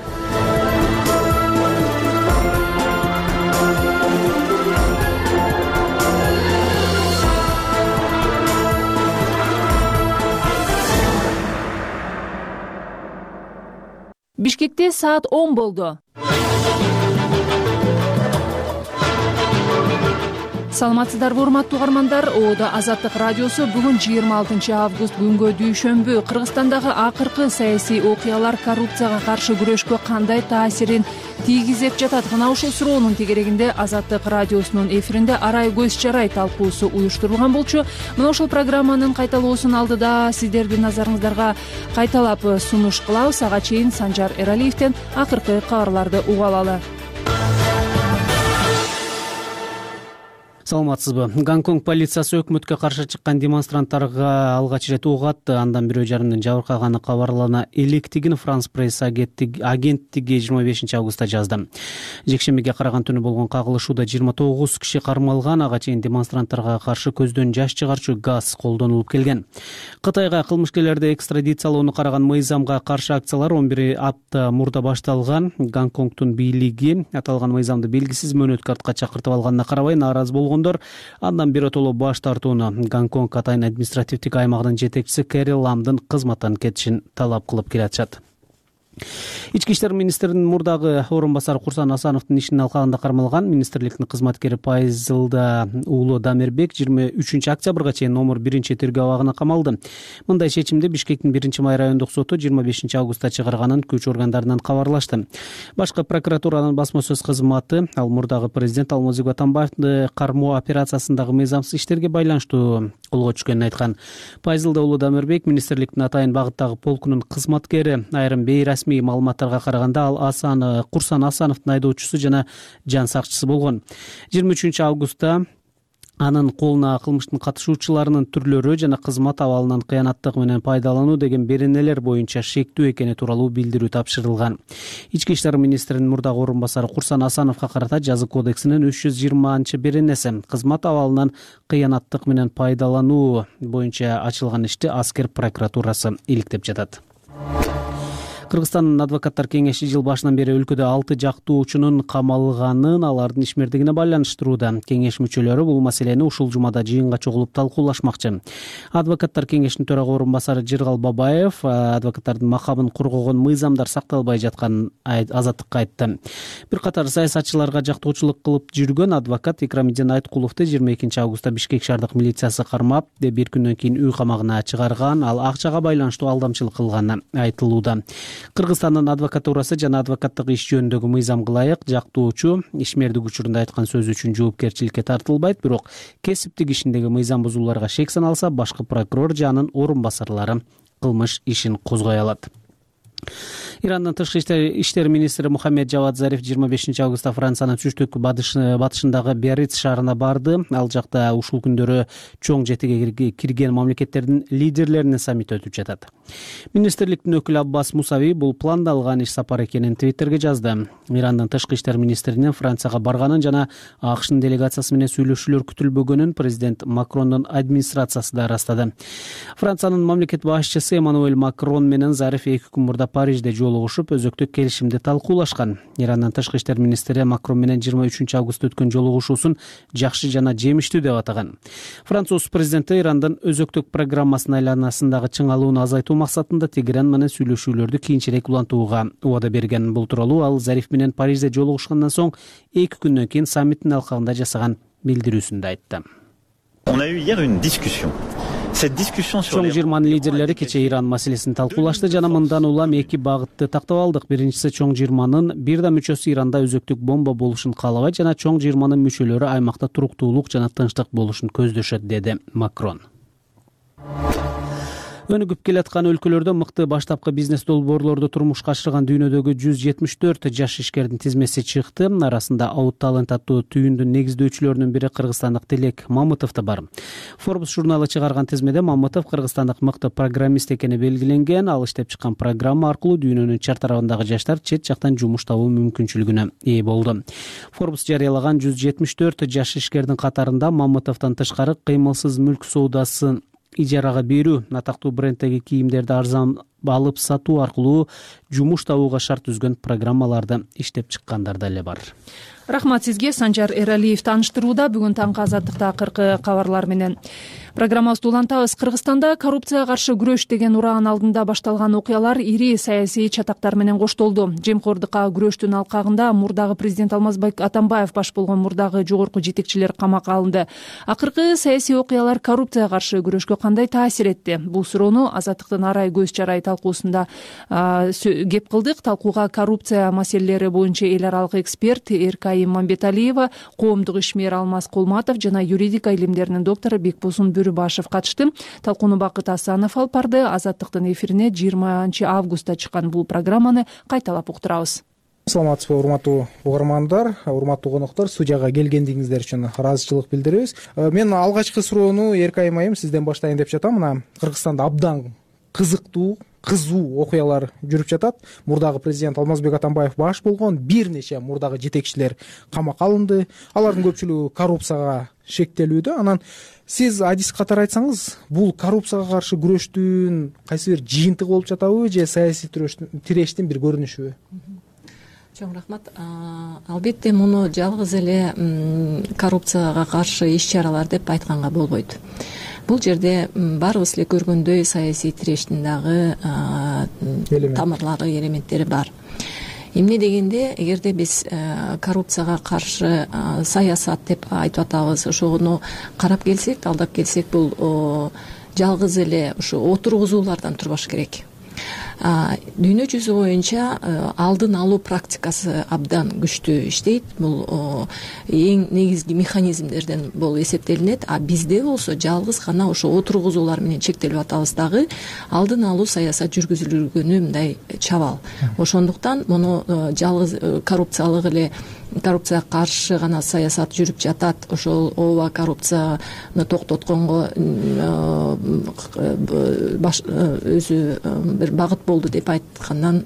Бишкекте саат он болду. Саламатсыздарбы, урматтуу угармандар? Оодо Азаттык радиосу бүгүн жыйырма алтынчы август күнгө дүйшөмбү. Кыргызстандагы акыркы саясий окуялар коррупцияга каршы күрөшкө кандай таасирин тийгизип жатат? Мына ушул суроонун тегерегинде Азаттык радиосунун эфиринде арай көз чарай талкуусу уюштурулган болчу. Мына ушул программанын кайталоосунун алдыда сиздердин назарыңыздарга кайталап сунуш кылабыз. Ага чейин Санжар Эралиевден акыркы кабарларды угуп алалы. Саламатсызбы? Гонконг полициясы өкмөткө каршы чыккан демонстранттарга алгач ирет ок атты. Андан бирөө жарымдын жабыркаганы кабарлана электигин Франс пресс агенттиги жыйырма бешинчи августта жазды. Жекшембиге караган түнү болгон кагылышууда жыйырма тогуз киши кармалган. Ага чейин демонстранттарга каршы көздөн жаш чыгарчу газ колдонулуп келген. Кытайга кылмышкерлерди экстрадициялоону караган мыйзамга каршы акциялар он бир апта мурда башталган. Гонконгдун бийлиги аталган мыйзамды белгисиз мөөнөткө артка чакыртып алганына карабай нааразы болгон. Андан биротоло баш тартууну Гонконг Атайын административдик аймагынын жетекчиси Кэри Ламдын кызматтан кетишин талап кылып келатышат. Ички иштер министринин мурдагы орун басары Курсан Асановдун ишинин алкагында кармалган министрликтин кызматкери Пайзылда уулу Дамирбек жыйырма үчүнчү октябрга чейин номер биринчи тергөө абагына камалды. Мындай чечимди Бишкектин биринчи май райондук соту жыйырма бешинчи августта чыгарганын күч органдарынан кабарлашты. Башкы прокуратуранын басма сөз кызматы ал мурдагы президент Алмазбек Атамбаевди кармоо операциясындагы мыйзамсыз иштерге байланыштуу колго түшкөнүн айткан. Пайзылда уулу Дамирбек министрликтин Атайын багыттагы полкунун кызматкери. Айрым бейрасмий маалыматтарга караганда ал Асан Курсан Асановдун айдоочусу жана жан сакчысы болгон. жыйырма үчүнчү августта анын колуна кылмыштын катышуучуларынын түрлөрү жана кызмат абалынан кыянаттык менен пайдалануу деген беренелер боюнча шектүү экени тууралуу билдирүү тапшырылган. Ички иштер министринин мурдагы орун басары Курсан Асановго карата жаза кодексинин үч жүз жыйырманчы беренеси кызмат абалынан кыянаттык менен пайдалануу боюнча ачылган ишти аскер прокуратурасы иликтеп жатат. Кыргызстандын адвокаттар кеңеши жыл башынан бери өлкөдө алты жактоочунун камалганын, алардын ишмердигине байланыштырууда. Кеңеш мүчөлөрү бул маселени ушул жумада жыйынга чогулуп талкуулашмакчы. Адвокаттар кеңешинин төрага орун басары Жыргал Бабаев адвокаттардын макамын коргогон мыйзамдар сакталбай жатканын Азаттыкка айтты. Бир катар саясатчыларга жактоочулук кылып жүргөн адвокат Икрамидин Айткуловду жыйырма экинчи августта Бишкек шаардык милициясы кармап, бир күндөн кийин үй камагына чыгарган, ал акчага байланыштуу алдамчылык кылганы айтылууда. Кыргызстандын адвокатурасы жана адвокаттык иш жөнүндөгү мыйзамга ылайык жактоочу ишмердик учурунда айткан сөзү үчүн жоопкерчиликке тартылбайт, бирок кесиптик ишиндеги мыйзам бузууларга шек саналса, башкы прокурор же анын орун басарлары кылмыш ишин козгой алат. Ирандын тышкы иштер министри Мухаммед Жавад Зариф жыйырма бешинчи августта Франциянын түштүк батышындагы Биарриц шаарына барды. Ал жакта ушул күндөрү чоң жетиге кирген мамлекеттердин лидерлеринин саммити өтүп жатат. Министрликтин өкүлү Аббас Мусави бул пландалган иш сапар экенин Твиттерге жазды. Ирандын тышкы иштер министринин Францияга барганын жана АКШнын делегациясы менен сүйлөшүүлөр күтүлбөгөнүн президент Макрондун администрациясы да ырастады. Франциянын мамлекет башчысы Эммануэль Макрон менен Зариф эки күн мурда Парижде жолугушуп жолугушуп өзөктүк келишимди талкуулашкан. Ирандын тышкы иштер министри Макрон менен жыйырма үчүнчү августта өткөн жолугушуусун жакшы жана жемиштүү деп атаган. Француз президенти Ирандын өзөктүк программасынын айланасындагы чыңалууну азайтуу максатында Тегеран менен сүйлөшүүлөрдү кийинчерээк улантууга убада берген. Бул тууралуу ал Зариф менен Парижде жолугушкандан соң эки күндөн кийин саммиттин алкагында жасаган билдирүүсүндө айтты. On a eu hier une discussion. Cette discussion sur Чоң жыйырманын лидерлери кечээ Иран маселесин талкуулашты жана мындан улам эки багытты тактап алдык. Биринчиси, чоң жыйырманын бир да мүчөсү Иранда өзөктүк бомба болушун каалабайт жана чоң жыйырманын мүчөлөрү аймакта туруктуулук жана тынчтык болушун көздөшөт, деди Макрон. Өнүгүп келаткан өлкөлөрдө мыкты баштапкы бизнес долбоорлорду турмушка ашырган дүйнөдөгү жүз жетимиш төрт жаш ишкердин тизмеси чыкты. Арасында Out Talent аттуу түйүндүн негиздөөчүлөрүнүн бири кыргызстандык Тилек Мамытов да бар. Forbes журналы чыгарган тизмеде Мамытов кыргызстандык мыкты программист экени белгиленген. Ал иштеп чыккан программа аркылуу дүйнөнүн чар тарабындагы жаштар чет жактан жумуш табуу мүмкүнчүлүгүнө ээ болду. Forbes жарыялаган жүз жетимиш төрт жаш ишкердин катарында Мамытовдон тышкары кыймылсыз мүлк соодасын ижарага берүү, атактуу бренддеги кийимдерди арзан алып сатуу аркылуу жумуш табууга шарт түзгөн программаларды иштеп чыккандар деле бар. Рахмат сизге. Санжар Эралиев тааныштырууда. Бүгүн таңкы Азаттыкта акыркы кабарлар менен программабызды улантабыз. Кыргызстанда коррупцияга каршы күрөш деген ураан алдында башталган окуялар ири саясий чатактар менен коштолду. Жемкордукка күрөштүн алкагында мурдагы президент Алмазбек Атамбаев баш болгон мурдагы жогорку жетекчилер камакка алынды. Акыркы саясий окуялар коррупцияга каршы күрөшкө кандай таасир этти? Бул суроону Азаттыктын Арай көз чарай талкуусунда кеп кылдык. Талкууга коррупция маселелери боюнча эл аралык эксперт Эркай Мамбеталиева, коомдук ишмер Алмаз Кулматов жана юридика илимдеринин доктору Бекбосун Башев катышты. Талкууну Бакыт Асанов алып барды. Азаттыктын эфирине жыйырманчы августта чыккан бул программаны кайталап уктурабыз. Саламатсызбы, урматтуу угармандар, урматтуу коноктор, студияга келгендигиңиздер үчүн ыраазычылык билдиребиз. Мен алгачкы суроону Эркай майым сизден баштайын деп жатам. Мына Кыргызстанда абдан кызыктуу, кызуу окуялар жүрүп жатат. Мурдагы президент Алмазбек Атамбаев баш болгон бир нече мурдагы жетекчилер камакка алынды. Алардын көпчүлүгү коррупцияга шектелүүдө. Анан сиз адис катары айтсаңыз, бул коррупцияга каршы күрөштүн кайсы бир жыйынтыгы болуп жатабы же саясий тирештин бир көрүнүшүбү? Чоң рахмат. Албетте муну жалгыз эле коррупцияга каршы иш-чаралар деп айтканга болбойт. Бул жерде баарыбыз эле көргөндөй саясий тирештин дагы тамырлары, элементтери бар. Эмне дегенде, эгерде биз коррупцияга каршы саясат деп айтып атабыз, ошону карап келсек, талдап келсек, бул жалгыз эле ушу отургузуулардан турбаш керек. Дүйнө жүзү боюнча алдын алуу практикасы абдан күчтүү иштейт. Бул эң негизги механизмдерден болуп эсептелинет. А бизде болсо жалгыз гана ошо отургузуулар менен чектелип атабыз дагы, алдын алуу саясат жүргүзүлгөнү мындай чабал. Ошондуктан муну жалгыз коррупциялык эле коррупцияга каршы гана саясат жүрүп жатат, ошол ооба коррупцияны токтотконго өзү бир багыт болду деп айткандан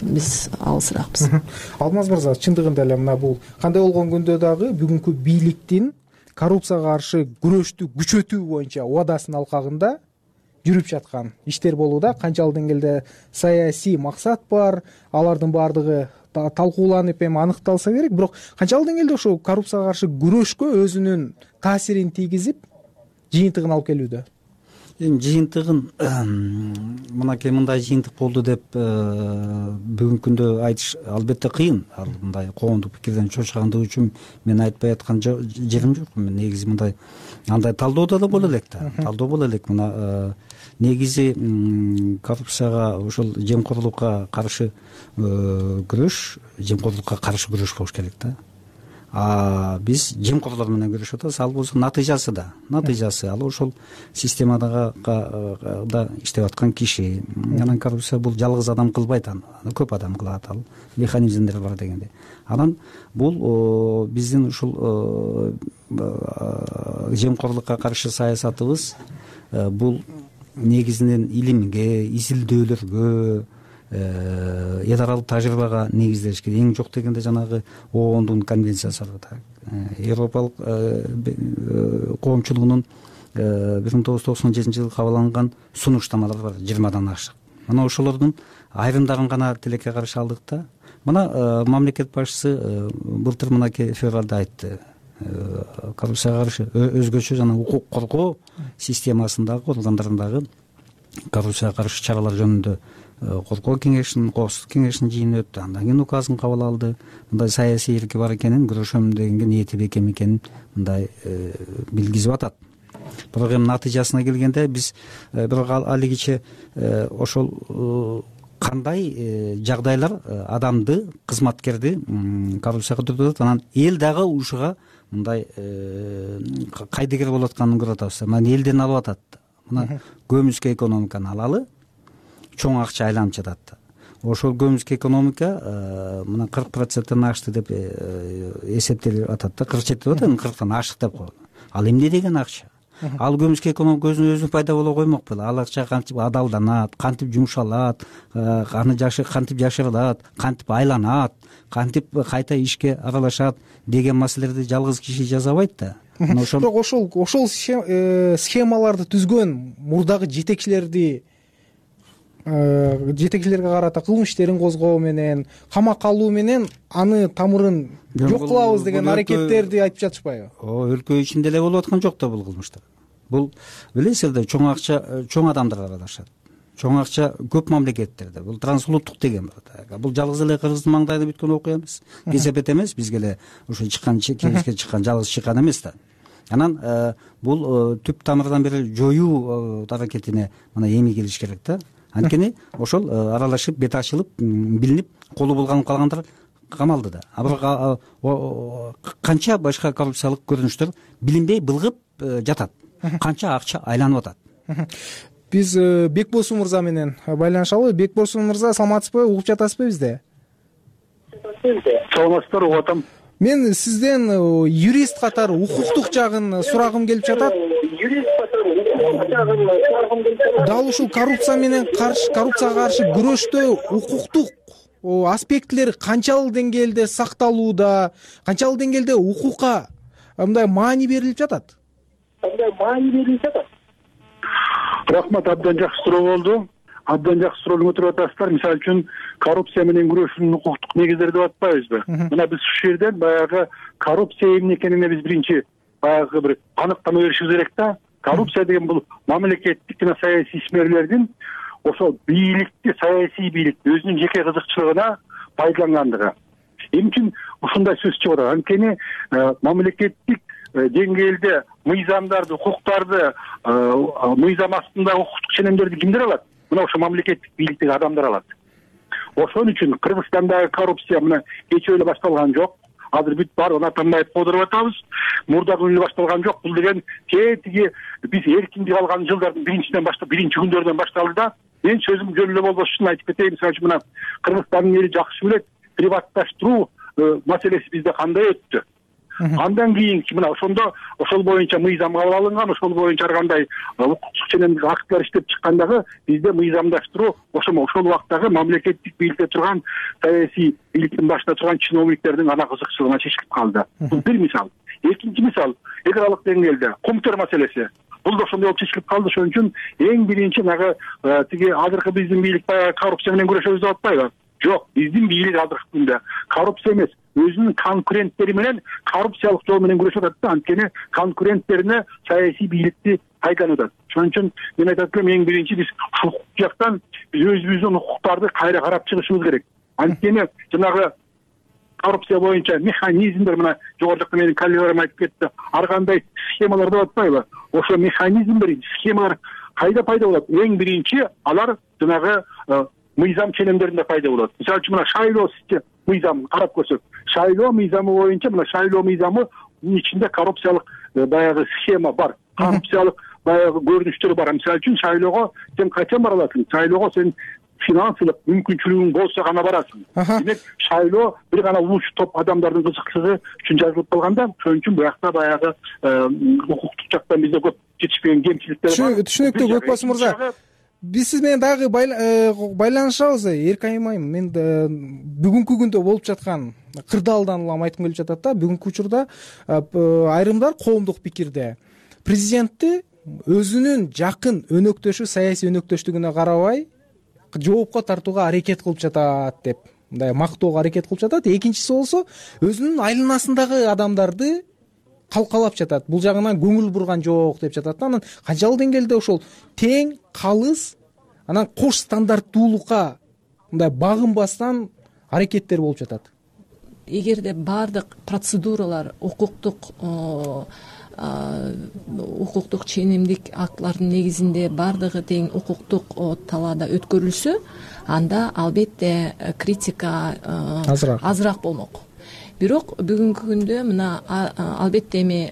биз алысыракпыз. Алмаз мырза, чындыгында эле мына бул кандай болгон күндө дагы бүгүнкү бийликтин коррупцияга каршы күрөштү күчөтүү боюнча убадасынын алкагында жүрүп жаткан иштер болууда. Канчалык деңгээлде саясий максат бар, алардын баардыгы талкууланып эми аныкталса керек, бирок канчалык деңгээлде ошо коррупцияга каршы күрөшкө өзүнүн таасирин тийгизип, жыйынтыгын алып келүүдө? Эми жыйынтыгын мынакей мындай жыйынтык болду деп бүгүнкү күндө айтыш албетте кыйын. Ал мындай коомдук пикирден чочкандыгы үчүн мен айтпай аткан жерим жок. Мен негизи мындай андай талдоодо да боло элек да. Талдоо боло элек. Мына негизи коррупцияга, ошол жемкорлукка каршы күрөш, жемкорлукка каршы күрөш болуш керек да. А биз жемкорлор менен күрөшүп атабыз. Ал болсо натыйжасы да, натыйжасы ал ошол системадага да иштеп аткан киши. Анан коррупция бул жалгыз адам кылбайт, аны көп адам кылат, ал механизмдер бар дегенде. Анан бул биздин ушул жемкорлукка каршы саясатыбыз бул негизинен илимге, изилдөөлөргө, эл аралык тажрыйбага негизделиш керек. Эң жок дегенде жанагы оондун конвенциясы бар. Европалык коомчулугунун бир миң тогуз жүз токсон жетинчи жылы кабыл алынган сунуштамалар бар, жыйырмадан ашык. мына ошолордун айрымдарын гана тилекке каршы алдык да. Мына мамлекет башчысы былтыр мынакей февралда айтты, коррупцияга каршы өзгөчө жана укук коргоо системасындагы органдарындагы коррупцияга каршы чаралар жөнүндө коргоо кеңешинин коопсуздук кеңешинин жыйыны өттү. Андан кийин указын кабыл алды. Мындай саясий эрки бар экенин, күрөшөм дегенге ниети бекем экенин мындай билгизип атат. Бирок эми натыйжасына келгенде биз бирок алигиче ошол кандай жагдайлар адамды, кызматкерди коррупцияга төртөт, анан эл дагы ушуга мындай кайдыгер болуп атканын көрүп атабыз. Мына элден алып атат. Мына көмүскө экономиканы алалы, чоң акча айланып жатат. Ошол көмүскө экономика мына кырк проценттен ашты деп эсептелип атат да, кырк жети деп атат, кырктан ашык деп коет. Ал эмне деген акча? Ал көмүскө экономика өзүнө өзү пайда боло коймок беле? Ал акча кантип адалданат, кантип жумшалат, аны жашы кантип жашырылат, кантип айланат, кантип кайта ишке аралашат деген маселелерди жалгыз киши жасабайт да. Бирок ошол ошол схемаларды түзгөн мурдагы жетекчилерди жетекчилерге карата кылмыш иштерин козгоо менен, камакка алуу менен аны тамырын жок кылабыз деген аракеттерди айтып жатышпайбы? О, өлкө ичинде эле болуп аткан жок да бул кылмыштар. Бул билесиздер, чоң акча чоң адамдар аралашат. Чоң акча көп мамлекеттерде. Бул трансулуттук деген бар. Бул жалгыз эле Кыргыздын маңдайында бүткөн окуя эмес. Кесепет эмес, бизге эле ошо чыккан кеңешке чыккан жалгыз чыккан эмес да. Анан бул түп тамырдан бери жоюу аракетине мына эми кириш керек да. Анткени ошол аралашып, бет ачылып, билинип, колу булганып калгандар камалды да. А бирок канча башка коррупциялык көрүнүштөр билинбей былгып жатат. Канча акча айланып атат. Биз Бекбосун мырза менен байланышалы. Бекбосун мырза, саламатсызбы? Угуп жатасызбы бизди? Саламатсыздар, угуп атам. Мен сизден юрист катары укуктук жагын сурагым келип жатат. Юрист катары укуктук жагын сурагым келип жатат. Дал ушул коррупция менен каршы коррупцияга каршы күрөштө укуктук аспектилер канчалык деңгээлде сакталууда, канчалык деңгээлде укукка мындай маани берилип жатат? Мындай маани берилип жатат. Рахмат, абдан жакшы суроо болду. Абдан жакшы суроону көтөрүп атасыздар. Мисалы үчүн коррупция менен күрөшүүнүн укуктук негиздери деп атпайбызбы? Мына биз ушул жерден баягы коррупция эмне экенине биз биринчи баягы бир аныктама беришибиз керек да. Коррупция деген бул мамлекеттик жана саясий ишмерлердин ошол бийликти, саясий бийликти өзүнүн жеке кызыкчылыгына пайдалангандыгы. Эмне үчүн ушундай сөз чыгып атат? Анткени мамлекеттик деңгээлде мыйзамдарды, укуктарды, мыйзам астындагы укуктук ченемдерди кимдер алат? Мына ошо мамлекеттик бийликтеги адамдар алат. Ошон үчүн Кыргызстандагы коррупция мына кечээ эле башталган жок. Азыр бүт баарын атамбайт кодуруп атабыз. Мурда күнү башталган жок. Бул деген тетиги биз эркиндик алган жылдардын биринчиден баштап, биринчи күндөрдөн башталды да. Мен сөзүм жөн эле болбош үчүн айтып кетейин. Мисалы үчүн мына Кыргызстандын эли жакшы билет, приватташтыруу маселеси бизде кандай өттү. Андан кийинки мына ошондо ошол боюнча мыйзам кабыл алынган, ошол боюнча ар кандай укуктук ченемдик актылар иштеп чыккандагы бизде мыйзамдаштыруу ошол ошол убактагы мамлекеттик бийликте турган, саясий бийликтин башында турган чиновниктердин гана кызыкчылыгына чечилип калды. Бул бир мисал. Экинчи мисал, эл аралык деңгээлде комтер маселеси. Бул да ошондой болуп чечилип калды. Ошон үчүн эң биринчи нагы тиги азыркы биздин бийлик баягы коррупция менен күрөшөбүз деп атпайбы? Жок, биздин бийлик азыркы күндө коррупция эмес, өзүнүн конкуренттери менен коррупциялык жол менен күрөшүп атат да. Анткени конкуренттерине саясий бийликти пайдаланып атат. Ошон үчүн мен айтат элем, эң биринчи биз укук жактан биз өзүбүздүн укуктарды кайра карап чыгышыбыз керек. Анткени жанагы коррупция боюнча механизмдер, мына жогору жакта менин коллегаларым айтып кетти, ар кандай схемалар деп атпайбы? Ошо механизмдер, схемалар кайда пайда болот? Эң биринчи алар жанагы мыйзам ченемдеринде пайда болот. Мисалы үчүн мына шайлоо мыйзамын карап көрсөк, шайлоо мыйзамы боюнча мына шайлоо мыйзамынын ичинде коррупциялык баягы схема бар, коррупциялык баягы көрүнүштөр бар. Мисалы үчүн шайлоого сен качан бара аласың? Шайлоого сен финансылык мүмкүнчүлүгүң болсо гана барасың. Демек шайлоо бир гана улуучу топ адамдардын кызыкчылыгы үчүн жазылып калганда, ошон үчүн буякта баягы укуктук жактан бизде көп жетишпеген кемчиликтер бар. Түшүнүктүү, Бекбос мырза. Биз сиз менен дагы байланышабыз. Эрке аймайм. Мен бүгүнкү күндө болуп жаткан кырдаалдан улам айткым келип жатат да. Бүгүнкү учурда айрымдар коомдук пикирде президентти өзүнүн жакын өнөктөшү, саясий өнөктөштүгүнө карабай, жоопко тартууга аракет кылып жатат деп мындай мактоого аракет кылып жатат. Экинчиси болсо өзүнүн айланасындагы адамдарды калкалап жатат. Бул жагынан көңүл бурган жок деп жатат. Анан канчалык деңгээлде ошол тең, калыс, анан кош стандарттуулукка мындай багынбастан аракеттер болуп жатат. Эгерде баардык процедуралар укуктук укуктук ченемдик актлардын негизинде баардыгы тең укуктук талаада өткөрүлсө, анда албетте критика азыраак азыраак болмок. Бирок бүгүнкү күндө мына албетте эми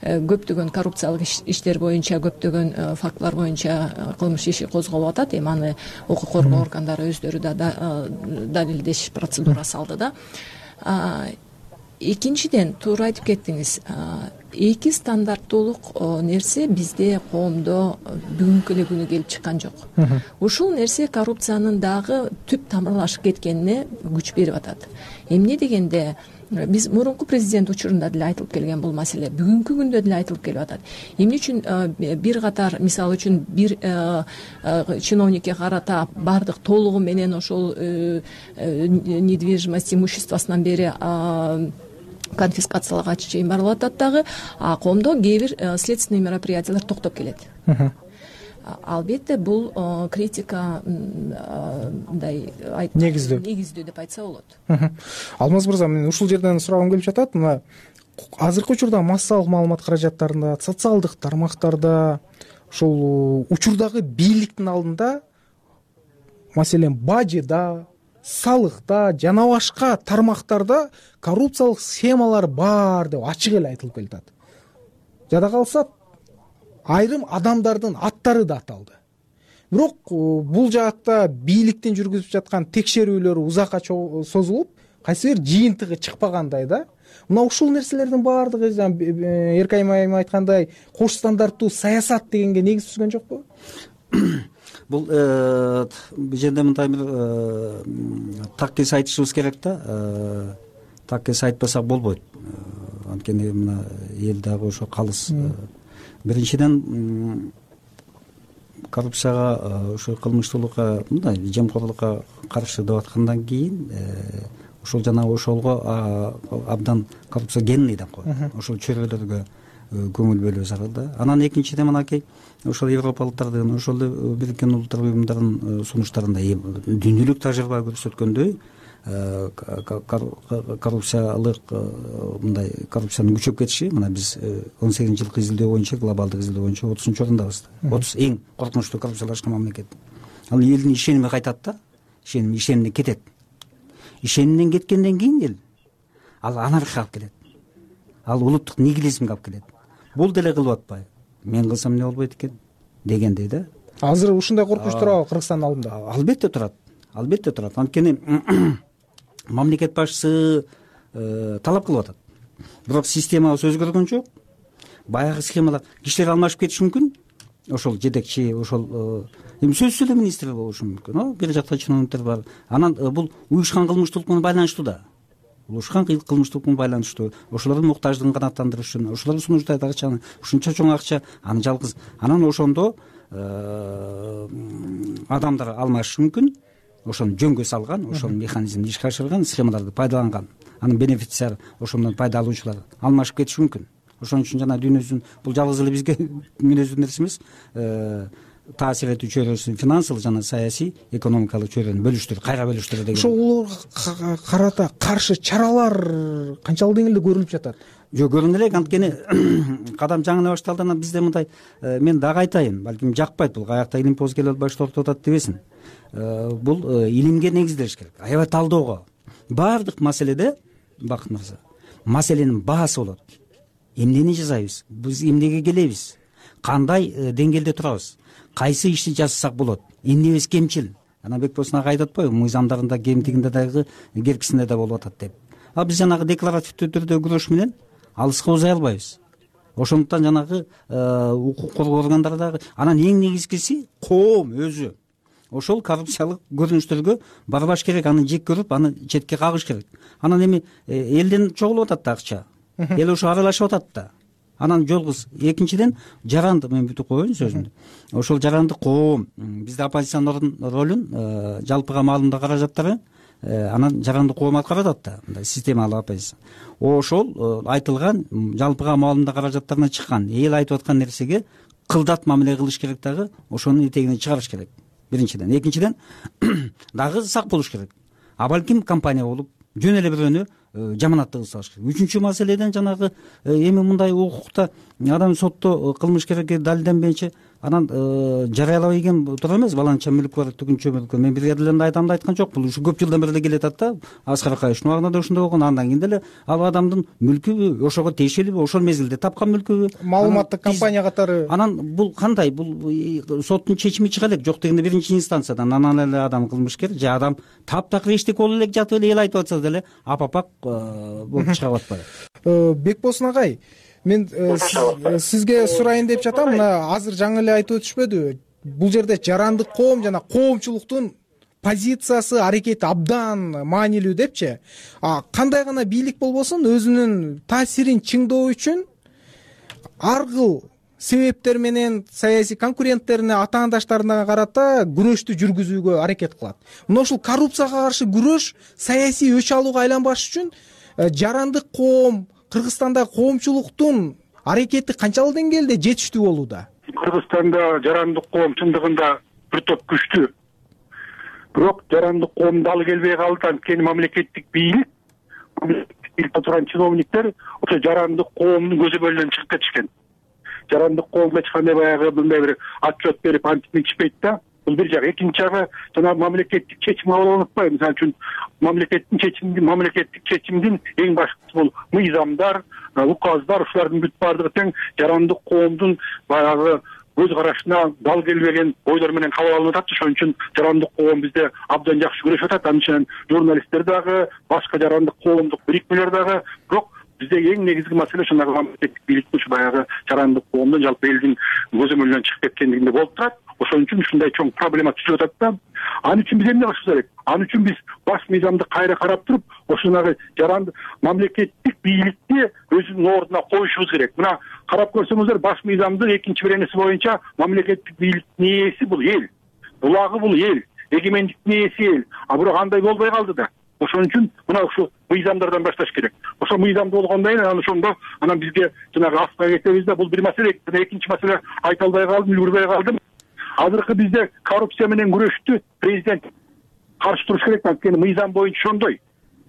көптөгөн коррупциялык иштер боюнча, көптөгөн фактылар боюнча кылмыш иши козголуп атат. Эми аны укук коргоо органдары өздөрү да далилдеш процедурасы алды да. Экинчиден, туура айтып кеттиңиз, эки стандарттуулук нерсе бизде коомдо бүгүнкү эле күнү келип чыккан жок. Ушул нерсе коррупциянын дагы түп тамырлашып кеткенине күч берип атат. Эмне дегенде, биз мурунку президент учурунда деле айтылып келген бул маселе, бүгүнкү күндө деле айтылып келип атат. Эмне үчүн бир катар, мисалы үчүн бир чиновникке карата баардык толугу менен ошол недвижимость имуществосунан бери конфискацияларга чейин барылып атат дагы, а коомдо кээ бир следственный мероприятиялар токтоп келет. Албетте бул критика мындай негиздүү негиздүү деп айтса болот. Алмаз мырза, мен ушул жерден сурагым келип жатат. Мына азыркы учурда массалык маалымат каражаттарында, социалдык тармактарда, ошол учурдагы бийликтин алдында, маселен, бажыда, салыкта жана башка тармактарда коррупциялык схемалар бар деп ачык эле айтылып келатат. Жада калса айрым адамдардын аттары да аталды. Бирок бул жаатта бийликтин жүргүзүп жаткан текшерүүлөр узакка созулуп, кайсы бир жыйынтыгы чыкпагандай да. Мына ушул нерселердин баардыгы Эркайым айым айткандай кош стандарттуу саясат дегенге негиз түзгөн жокпу? Бул бул жерде мындай бир так кес айтышыбыз керек да. Так кес айтпасак болбойт. Анткени мына эл дагы ошо калыс. Биринчиден, коррупцияга, ошо кылмыштуулукка, мындай жемкорлукка каршы деп аткандан кийин ошол жана ошолго абдан коррупция генный деп коет. Ошол чөйрөлөргө көңүл бөлүү зарыл да. Анан экинчиден мынакей ошол европалыктардын, ошол Бириккен Улуттар уюмунун сунуштарында дүйнөлүк тажрыйба көрсөткөндөй, коррупциялык мындай коррупциянын күчөп кетиши, мына биз он сегизинчи жылкы изилдөө боюнча, глобалдык изилдөө боюнча отузунчу орундабыз. отуз эң коркунучтуу коррупциялашкан мамлекет. Ал элдин ишеними кайтат да, ишеним ишенимден кетет. Ишенимден кеткенден кийин эл ал анархия алып келет. Ал улуттук нигилизмге алып келет. Бул деле кылып атпайбы? Мен кылсам эмне болбойт экен дегендей да. Азыр ушундай коркунуч турабы Кыргызстандын алдында? Албетте турат. Албетте турат. Анткени мамлекет башчысы талап кылып атат. Бирок системабыз өзгөргөн жок. Баягы схемалар кишилер алмашып кетиши мүмкүн. Ошол жетекчи, ошол эми сөзсүз эле министр болушу мүмкүн. Бир жакта чиновниктер бар. Анан бул уюшкан кылмыштуулук менен байланыштуу да. Уюшкан кылмыштуулук менен байланыштуу. Ошолордун муктаждыгын канааттандырыш үчүн, ошолор сунуштайт акчаны, ушунча чоң акча, аны жалгыз. Анан ошондо адамдар алмашышы мүмкүн. Ошону жөнгө салган, ошонун механизмин ишке ашырган, схемаларды пайдаланган. Анын бенефициар, ошондон пайда алуучулар алмашып кетиши мүмкүн. Ошон үчүн жана дүйнөсүн бул жалгыз эле бизге мүнөздүү нерсе эмес. Таасир этүү чөйрөсү финансылык жана саясий, экономикалык чөйрөнү бөлүштүр, кайра бөлүштүр деген. Ошолорго карата каршы чаралар канчалык деңгээлде көрүлүп жатат? Жок, көрүнө элек, анткени кадам жаңылы башталды. Анан бизде мындай, мен дагы айтайын, балким жакпайт бул, каякта илим поз келип башталып атат дебесин. Бул илимге негизделиш керек, аябай талдоого. Баардык маселеде, Бакыт мырза, маселенин баасы болот. Эмнени жасайбыз? Биз эмнеге келебиз? Кандай деңгээлде турабыз? Кайсы ишти жасасак болот? Эмнебиз кемчил? Анан Бекболсун ага айтып атпайбы, мыйзамдарында кемтигинде дагы, керкисинде да болуп атат деп. А биз жанагы декларативдүү түрдө күрөш менен алыска узай албайбыз. Ошондуктан жанагы укук коргоо органдары дагы, анан эң негизгиси коом өзү ошол коррупциялык көрүнүштөргө барбаш керек, аны жек көрүп, аны четке кагыш керек. Анан эми элден чогулуп атат да акча. Эл ошо аралашып атат да. анан жалгыз. Экинчиден жарандык, мен бүтүп коеюн сөзүмдү. Ошол жарандык коом бизде оппозициянын ролун жалпыга маалымдоо каражаттары анан жарандык коом аткарат да, мындай системалык оппозиция. Ошол айтылган жалпыга маалымдоо каражаттарына чыккан, эл айтып аткан нерсеге кылдат мамиле кылыш керек дагы, ошонун этегине чыгарыш керек. Биринчиден. Экинчиден дагы сак болуш керек. А балким компания болуп жөн эле бирөөнү жаманатты кылсалыш керек. Үчүнчү маселеден жанагы эми мындай укукта адам сотто кылмыш керекти далилденбейинче анан жарыялабай келген туура эмес. Баланча мүлк бар, түгүнчө мүлк. Мен бир жерде эле айтамды айткан жокмун. Ушу көп жылдан бери эле келатат да. Аскар Акаевичтин убагында да ошондой болгон. Андан кийин деле ал адамдын мүлкүбү, ошого тиешелиби, ошол мезгилде тапкан мүлкүбү, маалыматтык компания катары. Анан бул кандай? Бул соттун чечими чыга элек. Жок дегенде биринчи инстанциядан анан эле адам кылмышкер же адам таптакыр эчтеке болуп элек жатып эле эл айтып атса деле апапак болуп чыгып атпайбы? Бекболсун агай, мен сизге сурайын деп жатам. Мына азыр жаңы эле айтып өтүшпөдү? Бул жерде жарандык коом жана коомчулуктун позициясы, аракети абдан маанилүү депчи. А кандай гана бийлик болбосун, өзүнүн таасирин чыңдоо үчүн ар кыл себептер менен саясий конкуренттерине, атаандаштарына карата күрөштү жүргүзүүгө аракет кылат. Мына ушул коррупцияга каршы күрөш саясий өч алууга айланбаш үчүн жарандык коом, Кыргызстанда коомчулуктун аракети канчалык деңгээлде жетиштүү болууда? Кыргызстанда жарандык коом чындыгында бир топ күчтүү. Бирок жарандык коом дал келбей калды. Анткени мамлекеттик бийлик, бийликте турган чиновниктер ошо жарандык коомдун көзөмөлүнөн чыгып кетишкен. Жарандык коомго эч кандай баягы мындай бир отчет берип антип мынтишпейт да. Бул бир жак. Экинчи жагы жана мамлекеттик чечим кабыл алып атпайбы? Мисалы үчүн мамлекеттин чечимди, мамлекеттик чечимдин эң башкысы бул мыйзамдар, указдар, ушулардын бүт баардыгы тең жарандык коомдун баягы көз карашына дал келбеген ойлор менен кабыл алынып атат. Ошон үчүн жарандык коом бизде абдан жакшы күрөшүп атат. Анын үчүн журналисттер дагы, башка жарандык коомдук бирикмелер дагы. Бирок бизде эң негизги маселе ошондой мамлекеттик бийликтин ушу баягы жарандык коомдун жалпы элдин көзөмөлүнөн чыгып кеткендигинде болуп турат. Ошон үчүн ушундай чоң проблема түзүлүп атат да. Анын үчүн биз эмне кылышыбыз керек? Анын үчүн биз баш мыйзамды кайра карап туруп, ошонагы жаранды мамлекеттик бийликти өзүнүн ордуна коюшубуз керек. Мына карап көрсөңүздөр, баш мыйзамдын экинчи беренеси боюнча мамлекеттик бийликтин ээси бул эл, булагы бул эл, эгемендиктин ээси эл. А бирок андай болбой калды да. Ошон үчүн мына ушул мыйзамдардан башташ керек. Ошол мыйзамды болгондон кийин анан ошондо анан бизге жанагы астына кетебиз да. Бул бир маселе. Экинчи маселе айта албай калдым, үлгүрбөй калдым. Азыркы бизде коррупция менен күрөштү президент каршы туруш керек. Анткени мыйзам боюнча ошондой.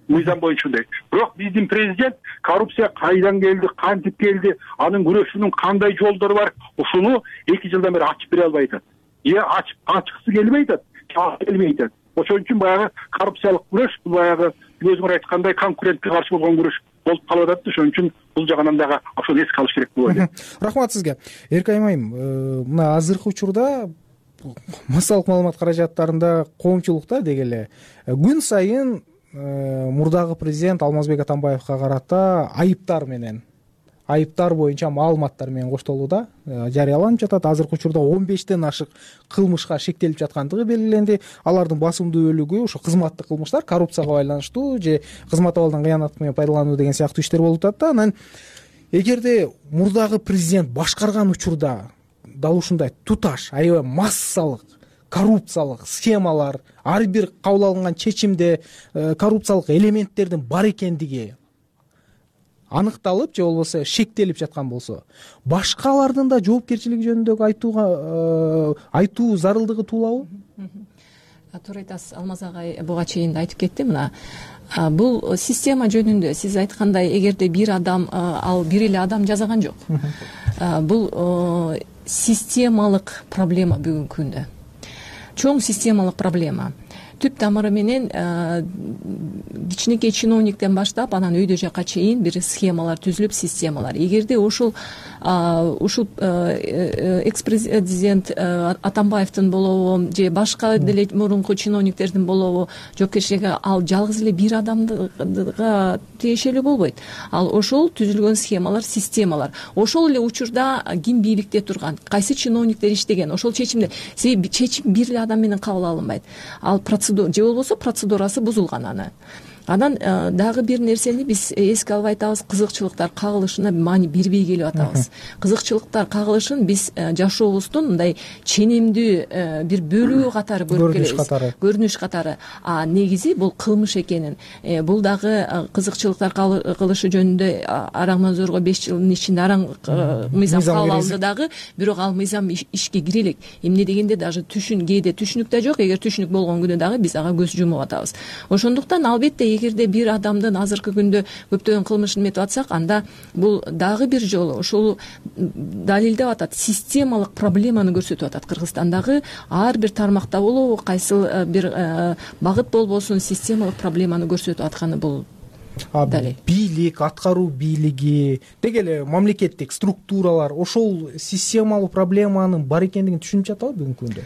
Мыйзам боюнча ошондой. Бирок биздин президент коррупция кайдан келди, кантип келди, анын күрөшүүнүн кандай жолдору бар, ушуну эки жылдан бери ачып бере албай атат. Е ачып ачкысы келбей атат, келбей атат. Ошон үчүн баягы коррупциялык күрөш, бул баягы өзүңөр айткандай конкурентке каршы болгон күрөш болуп калып атат. Ошон үчүн бул жагынан дагы ошону эске алыш керек деп ойлойм. Рахмат сизге. Эркайым айым, мына азыркы учурда массалык маалымат каражаттарында коомчулукта деги эле күн сайын мурдагы президент Алмазбек Атамбаевга карата айыптар менен айыптар боюнча маалыматтар менен коштолууда жарыяланып жатат. Азыркы учурда он бештен ашык кылмышка шектелип жаткандыгы белгиленди. Алардын басымдуу бөлүгү ошо кызматтык кылмыштар, коррупцияга байланыштуу же кызмат абалдан кыянат менен пайдалануу деген сыяктуу иштер болуп атат да. Анан эгерде мурдагы президент башкарган учурда дал ушундай туташ, аябай массалык коррупциялык схемалар, ар бир кабыл алынган чечимде коррупциялык элементтердин бар экендиги аныкталып же болбосо шектелип жаткан болсо, башкалардын да жоопкерчилиги жөнүндө айтууга айтуу зарылдыгы туулабы? Туура айтасыз, Алмаз агай буга чейин да айтып кетти. Мына бул система жөнүндө сиз айткандай, эгерде бир адам, ал бир эле адам жасаган жок. Бул системалык проблема бүгүнкү күндө. Чоң системалык проблема. Түп тамыры менен кичинекей чиновниктен баштап анан өйдө жакка чейин бир схемалар түзүлүп, системалар. Эгерде ушул ушул экс-президент Атамбаевдин болобу же башка деле мурунку чиновниктердин болобу жоопкерчилиги ал жалгыз эле бир адамга тиешелүү болбойт. Ал ошол түзүлгөн схемалар, системалар. Ошол эле учурда ким бийликте турган, кайсы чиновниктер иштеген, ошол чечимде чечим бир эле адам менен кабыл алынбайт. Ал процедура же болбосо процедурасы бузулган аны. анан дагы бир нерсени биз эске албай атабыз, кызыкчылыктар кагылышына маани бербей келип атабыз. Кызыкчылыктар кагылышын биз жашообуздун мындай ченемдүү бир бөлүгү катары көрүп келебиз, көрүнүш катары. А негизи бул кылмыш экенин, бул дагы кызыкчылыктар кылышы жөнүндө Араңманзорго беш жылдын ичинде араң мыйзам кабыл алынды дагы, бирок ал мыйзам ишке кире элек. Эмне дегенде даже түшүн кээде түшүнүк да жок, эгер түшүнүк болгон күнү дагы биз ага көз жумуп атабыз. Ошондуктан албетте эгерде бир адамдын азыркы күндө көптөгөн кылмышын эметип атсак, анда бул дагы бир жолу ошол далилдеп атат, системалык проблеманы көрсөтүп атат. Кыргызстандагы ар бир тармакта болобу, кайсыл бир багыт болбосун системалык проблеманы көрсөтүп атканы бул далил. Бийлик, аткаруу бийлиги, деги эле мамлекеттик структуралар ошол системалык проблеманын бар экендигин түшүнүп жатабы бүгүнкү күндө?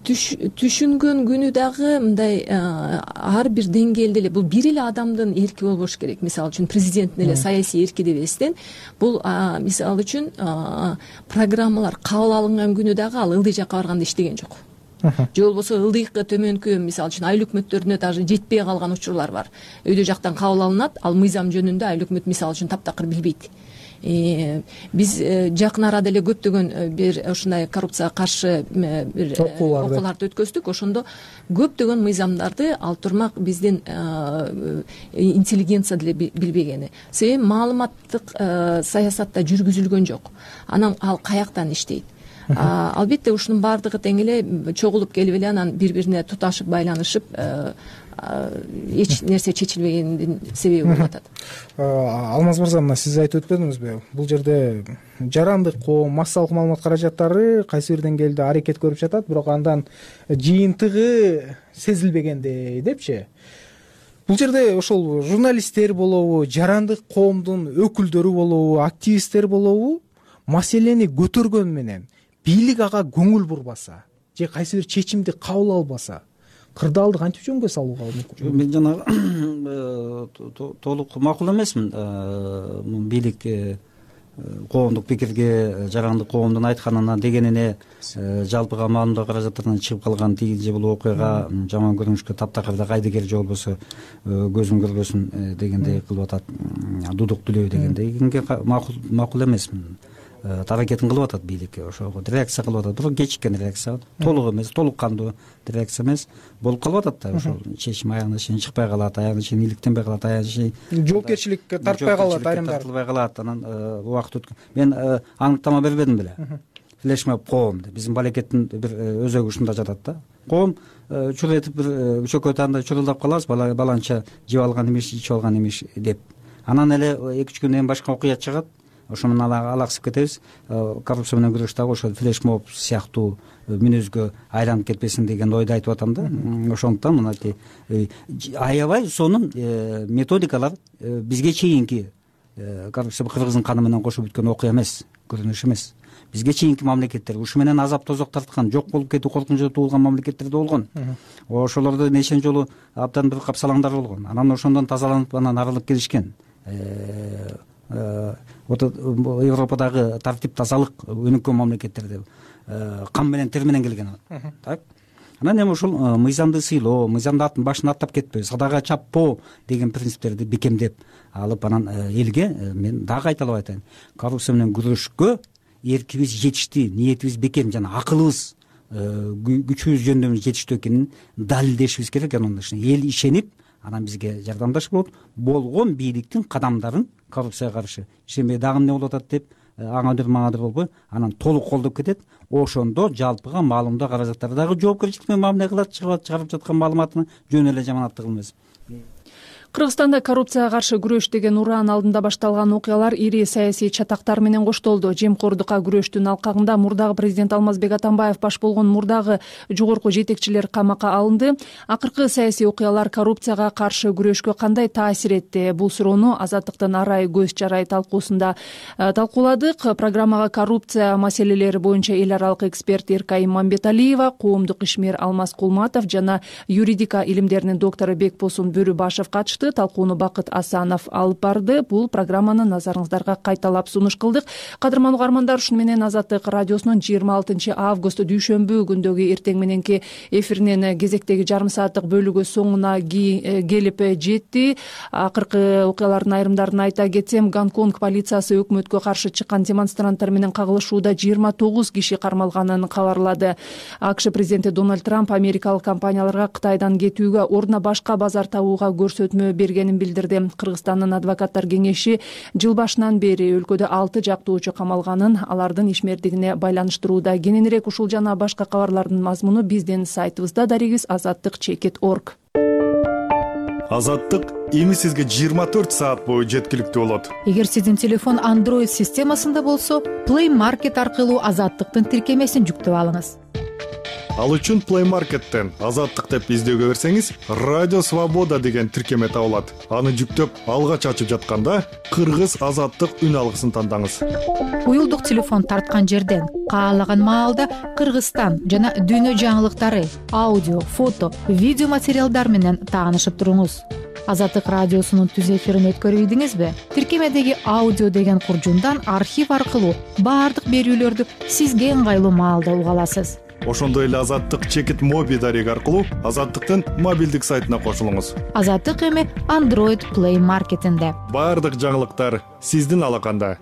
Түшүнгөн күнү дагы мындай ар бир деңгээлде эле бул бир эле адамдын эрки болбош керек. Мисалы үчүн президенттин эле саясий эрки деп эстен, бул мисалы үчүн программалар кабыл алынган күнү дагы ал ылдый жакка барганда иштеген жок. Же болбосо ылдыйкы төмөнкү, мисалы үчүн айыл өкмөттөрүнө даже жетпей калган учурлар бар. Өйдө жактан кабыл алынат, ал мыйзам жөнүндө айыл өкмөт мисалы үчүн таптакыр билбейт. Биз жакын арада эле көптөгөн бир ушундай коррупцияга каршы бир окууларды өткөздүк. Ошондо көптөгөн мыйзамдарды ал турмак биздин интеллигенция деле билбегени. Себеби маалыматтык саясатта жүргүзүлгөн жок. Анан ал каяктан иштейт? Албетте ушунун баардыгы тең эле чогулуп келип эле анан бири-бирине туташып байланышып эч нерсе чечилбегендин себеби болуп атат. Алмаз мырза, мына сиз айтып өтпөдүңүзбү? Бул жерде жарандык коом, массалык маалымат каражаттары кайсы бир деңгээлде аракет көрүп жатат, бирок андан жыйынтыгы сезилбегендей депчи. Бул жерде ошол журналисттер болобу, жарандык коомдун өкүлдөрү болобу, активисттер болобу, маселени көтөргөн менен бийлик ага көңүл бурбаса же кайсы бир чечимди кабыл албаса, кырдаалды кантип жөнгө салууга мүмкүн? Мен жана толук макул эмесмин. Бийлик коомдук пикирге, жарандык коомдун айтканына, дегенине жалпыга маалымдоо каражаттарынан чыгып калган тиги же бул окуяга жаман көрүнүшкө таптакырда кайдыгер же болбосо көзүм көрбөсүн дегендей кылып атат, дудук дүлөө дегендей макул макул эмесмин. Аракетин кылып атат бийлик, ошого реакция кылып атат, бирок кечиккен реакция, толук эмес, толук кандуу реакция эмес болуп калып атат да. Ошол чечим аягына чейин чыкпай калат, аягына чейин иликтенбей калат, аягына чейин жоопкерчиликке тартпай калат, айрымдар тартылбай калат. Анан убакыт өткөн. Мен аныктама бербедим беле. Флешмоб коом деп биздин балекеттин бир өзөгү ушунда жатат да. Коом чур этип бир чөкөт анда чурулдап калабыз, баланча жеп алган эмеш, ичип алган эмеш деп. Анан эле эки үч күндөн кийин башка окуя чыгат. Ошо менен алаксып кетебиз. Коррупция менен күрөш дагы ошол флешмоб сыяктуу мүнөзгө айланып кетпесин деген ойду айтып атам да. Ошондуктан мынакей аябай сонун методикалар бизге чейинки коррупция кыргыздын каны менен кошуп бүткөн окуя эмес, көрүнүш эмес. Бизге чейинки мамлекеттер ушу менен азап тозок тарткан, жок болуп кетүү коркунучу туулган мамлекеттерде болгон. Ошолордо нечен жолу абдан бир капсалаңдар болгон. Анан ошондон тазаланып анан арылып келишкен. Европадагы тартип тазалык өнүккөн мамлекеттерде кан менен тер менен келген. Так. Анан эми ушул мыйзамды сыйлоо, мыйзамды атын башын аттап кетпөө, садага чаппоо деген принциптерди бекемдеп алып, анан элге мен дагы кайталап айтайын. Коррупция менен күрөшкө эркибиз жетишти, ниетибиз бекем жана акылыбыз, күчүбүз жөндөмү жетиштүү экенин далилдешибиз керек. Анан эл ишенип, анан бизге жардамдашып болот. Болгон бийликтин кадамдарын коррупцияга каршы ишенбей дагы эмне болуп атат деп аңадыр маңадыр болбой анан толук колдоп кетет. Ошондо жалпыга маалымдоо каражаттары дагы жоопкерчилик менен мамиле кылат, чыгарып жаткан маалыматыны жөн эле жаманаттык эмес. Кыргызстанда коррупцияга каршы күрөш деген ураан алдында башталган окуялар ири саясий чатактар менен коштолду. Жемкордукка күрөштүн алкагында мурдагы президент Алмазбек Атамбаев баш болгон мурдагы жогорку жетекчилер камакка алынды. Акыркы саясий окуялар коррупцияга каршы күрөшкө кандай таасир этти? Бул суроону Азаттыктын Арай көз жарай талкуусунда талкууладык. Программага коррупция маселелери боюнча эл аралык эксперт Эркай Мамбеталиева, коомдук ишмер Алмаз Кулматов жана юридика илимдеринин доктору Бекбосун Бөрүбашев катышты. айтышты. Талкууну Бакыт Асанов алып барды. Бул программаны назарыңыздарга кайталап сунуш кылдык. Кадырман угармандар, ушуну менен Азаттык радиосунун жыйырма алтынчы август дүйшөмбү күндөгү эртең мененки эфиринин кезектеги жарым сааттык бөлүгү соңуна келип жетти. Акыркы окуялардын айрымдарын айта кетсем, Гонконг полициясы өкмөткө каршы чыккан демонстранттар менен кагылышууда жыйырма тогуз киши кармалганын кабарлады. АКШ президенти Дональд Трамп америкалык компанияларга Кытайдан кетүүгө ордуна башка базар табууга көрсөтмө бергенин билдирди. Кыргызстандын адвокаттар кеңеши жыл башынан бери өлкөдө алты жактоочу камалганын, алардын ишмердигине байланыштырууда. Кененирээк ушул жана башка кабарлардын мазмуну биздин сайтыбызда, дарегиз азаттык чекит орг. Азаттык эми сизге жыйырма төрт саат бою жеткиликтүү болот. Эгер сиздин телефон Android системасында болсо, Play Market аркылуу Азаттыктын тиркемесин жүктөп алыңыз. Ал үчүн Play Market'тен Азаттык деп издөөгө берсеңиз, Радио Свобода деген тиркеме табылат. Аны жүктөп, алгач ачып жатканда Кыргыз Азаттык үн алгысын тандаңыз. Уюлдук телефон тарткан жерден каалаган маалда Кыргызстан жана дүйнө жаңылыктары, аудио, фото, видео материалдар менен таанышып туруңуз. Азаттык радиосунун түз эфирин өткөрүп ийдиңизби? Тиркемедеги аудио деген куржундан архив аркылуу баардык берүүлөрдү сизге ыңгайлуу маалда уга аласыз. Ошондой эле Азаттык чекит моби дареги аркылуу Азаттыктын мобилдик сайтына кошулуңуз. Азаттык эми Android Play Market'инде. Баардык жаңылыктар сиздин алаканда.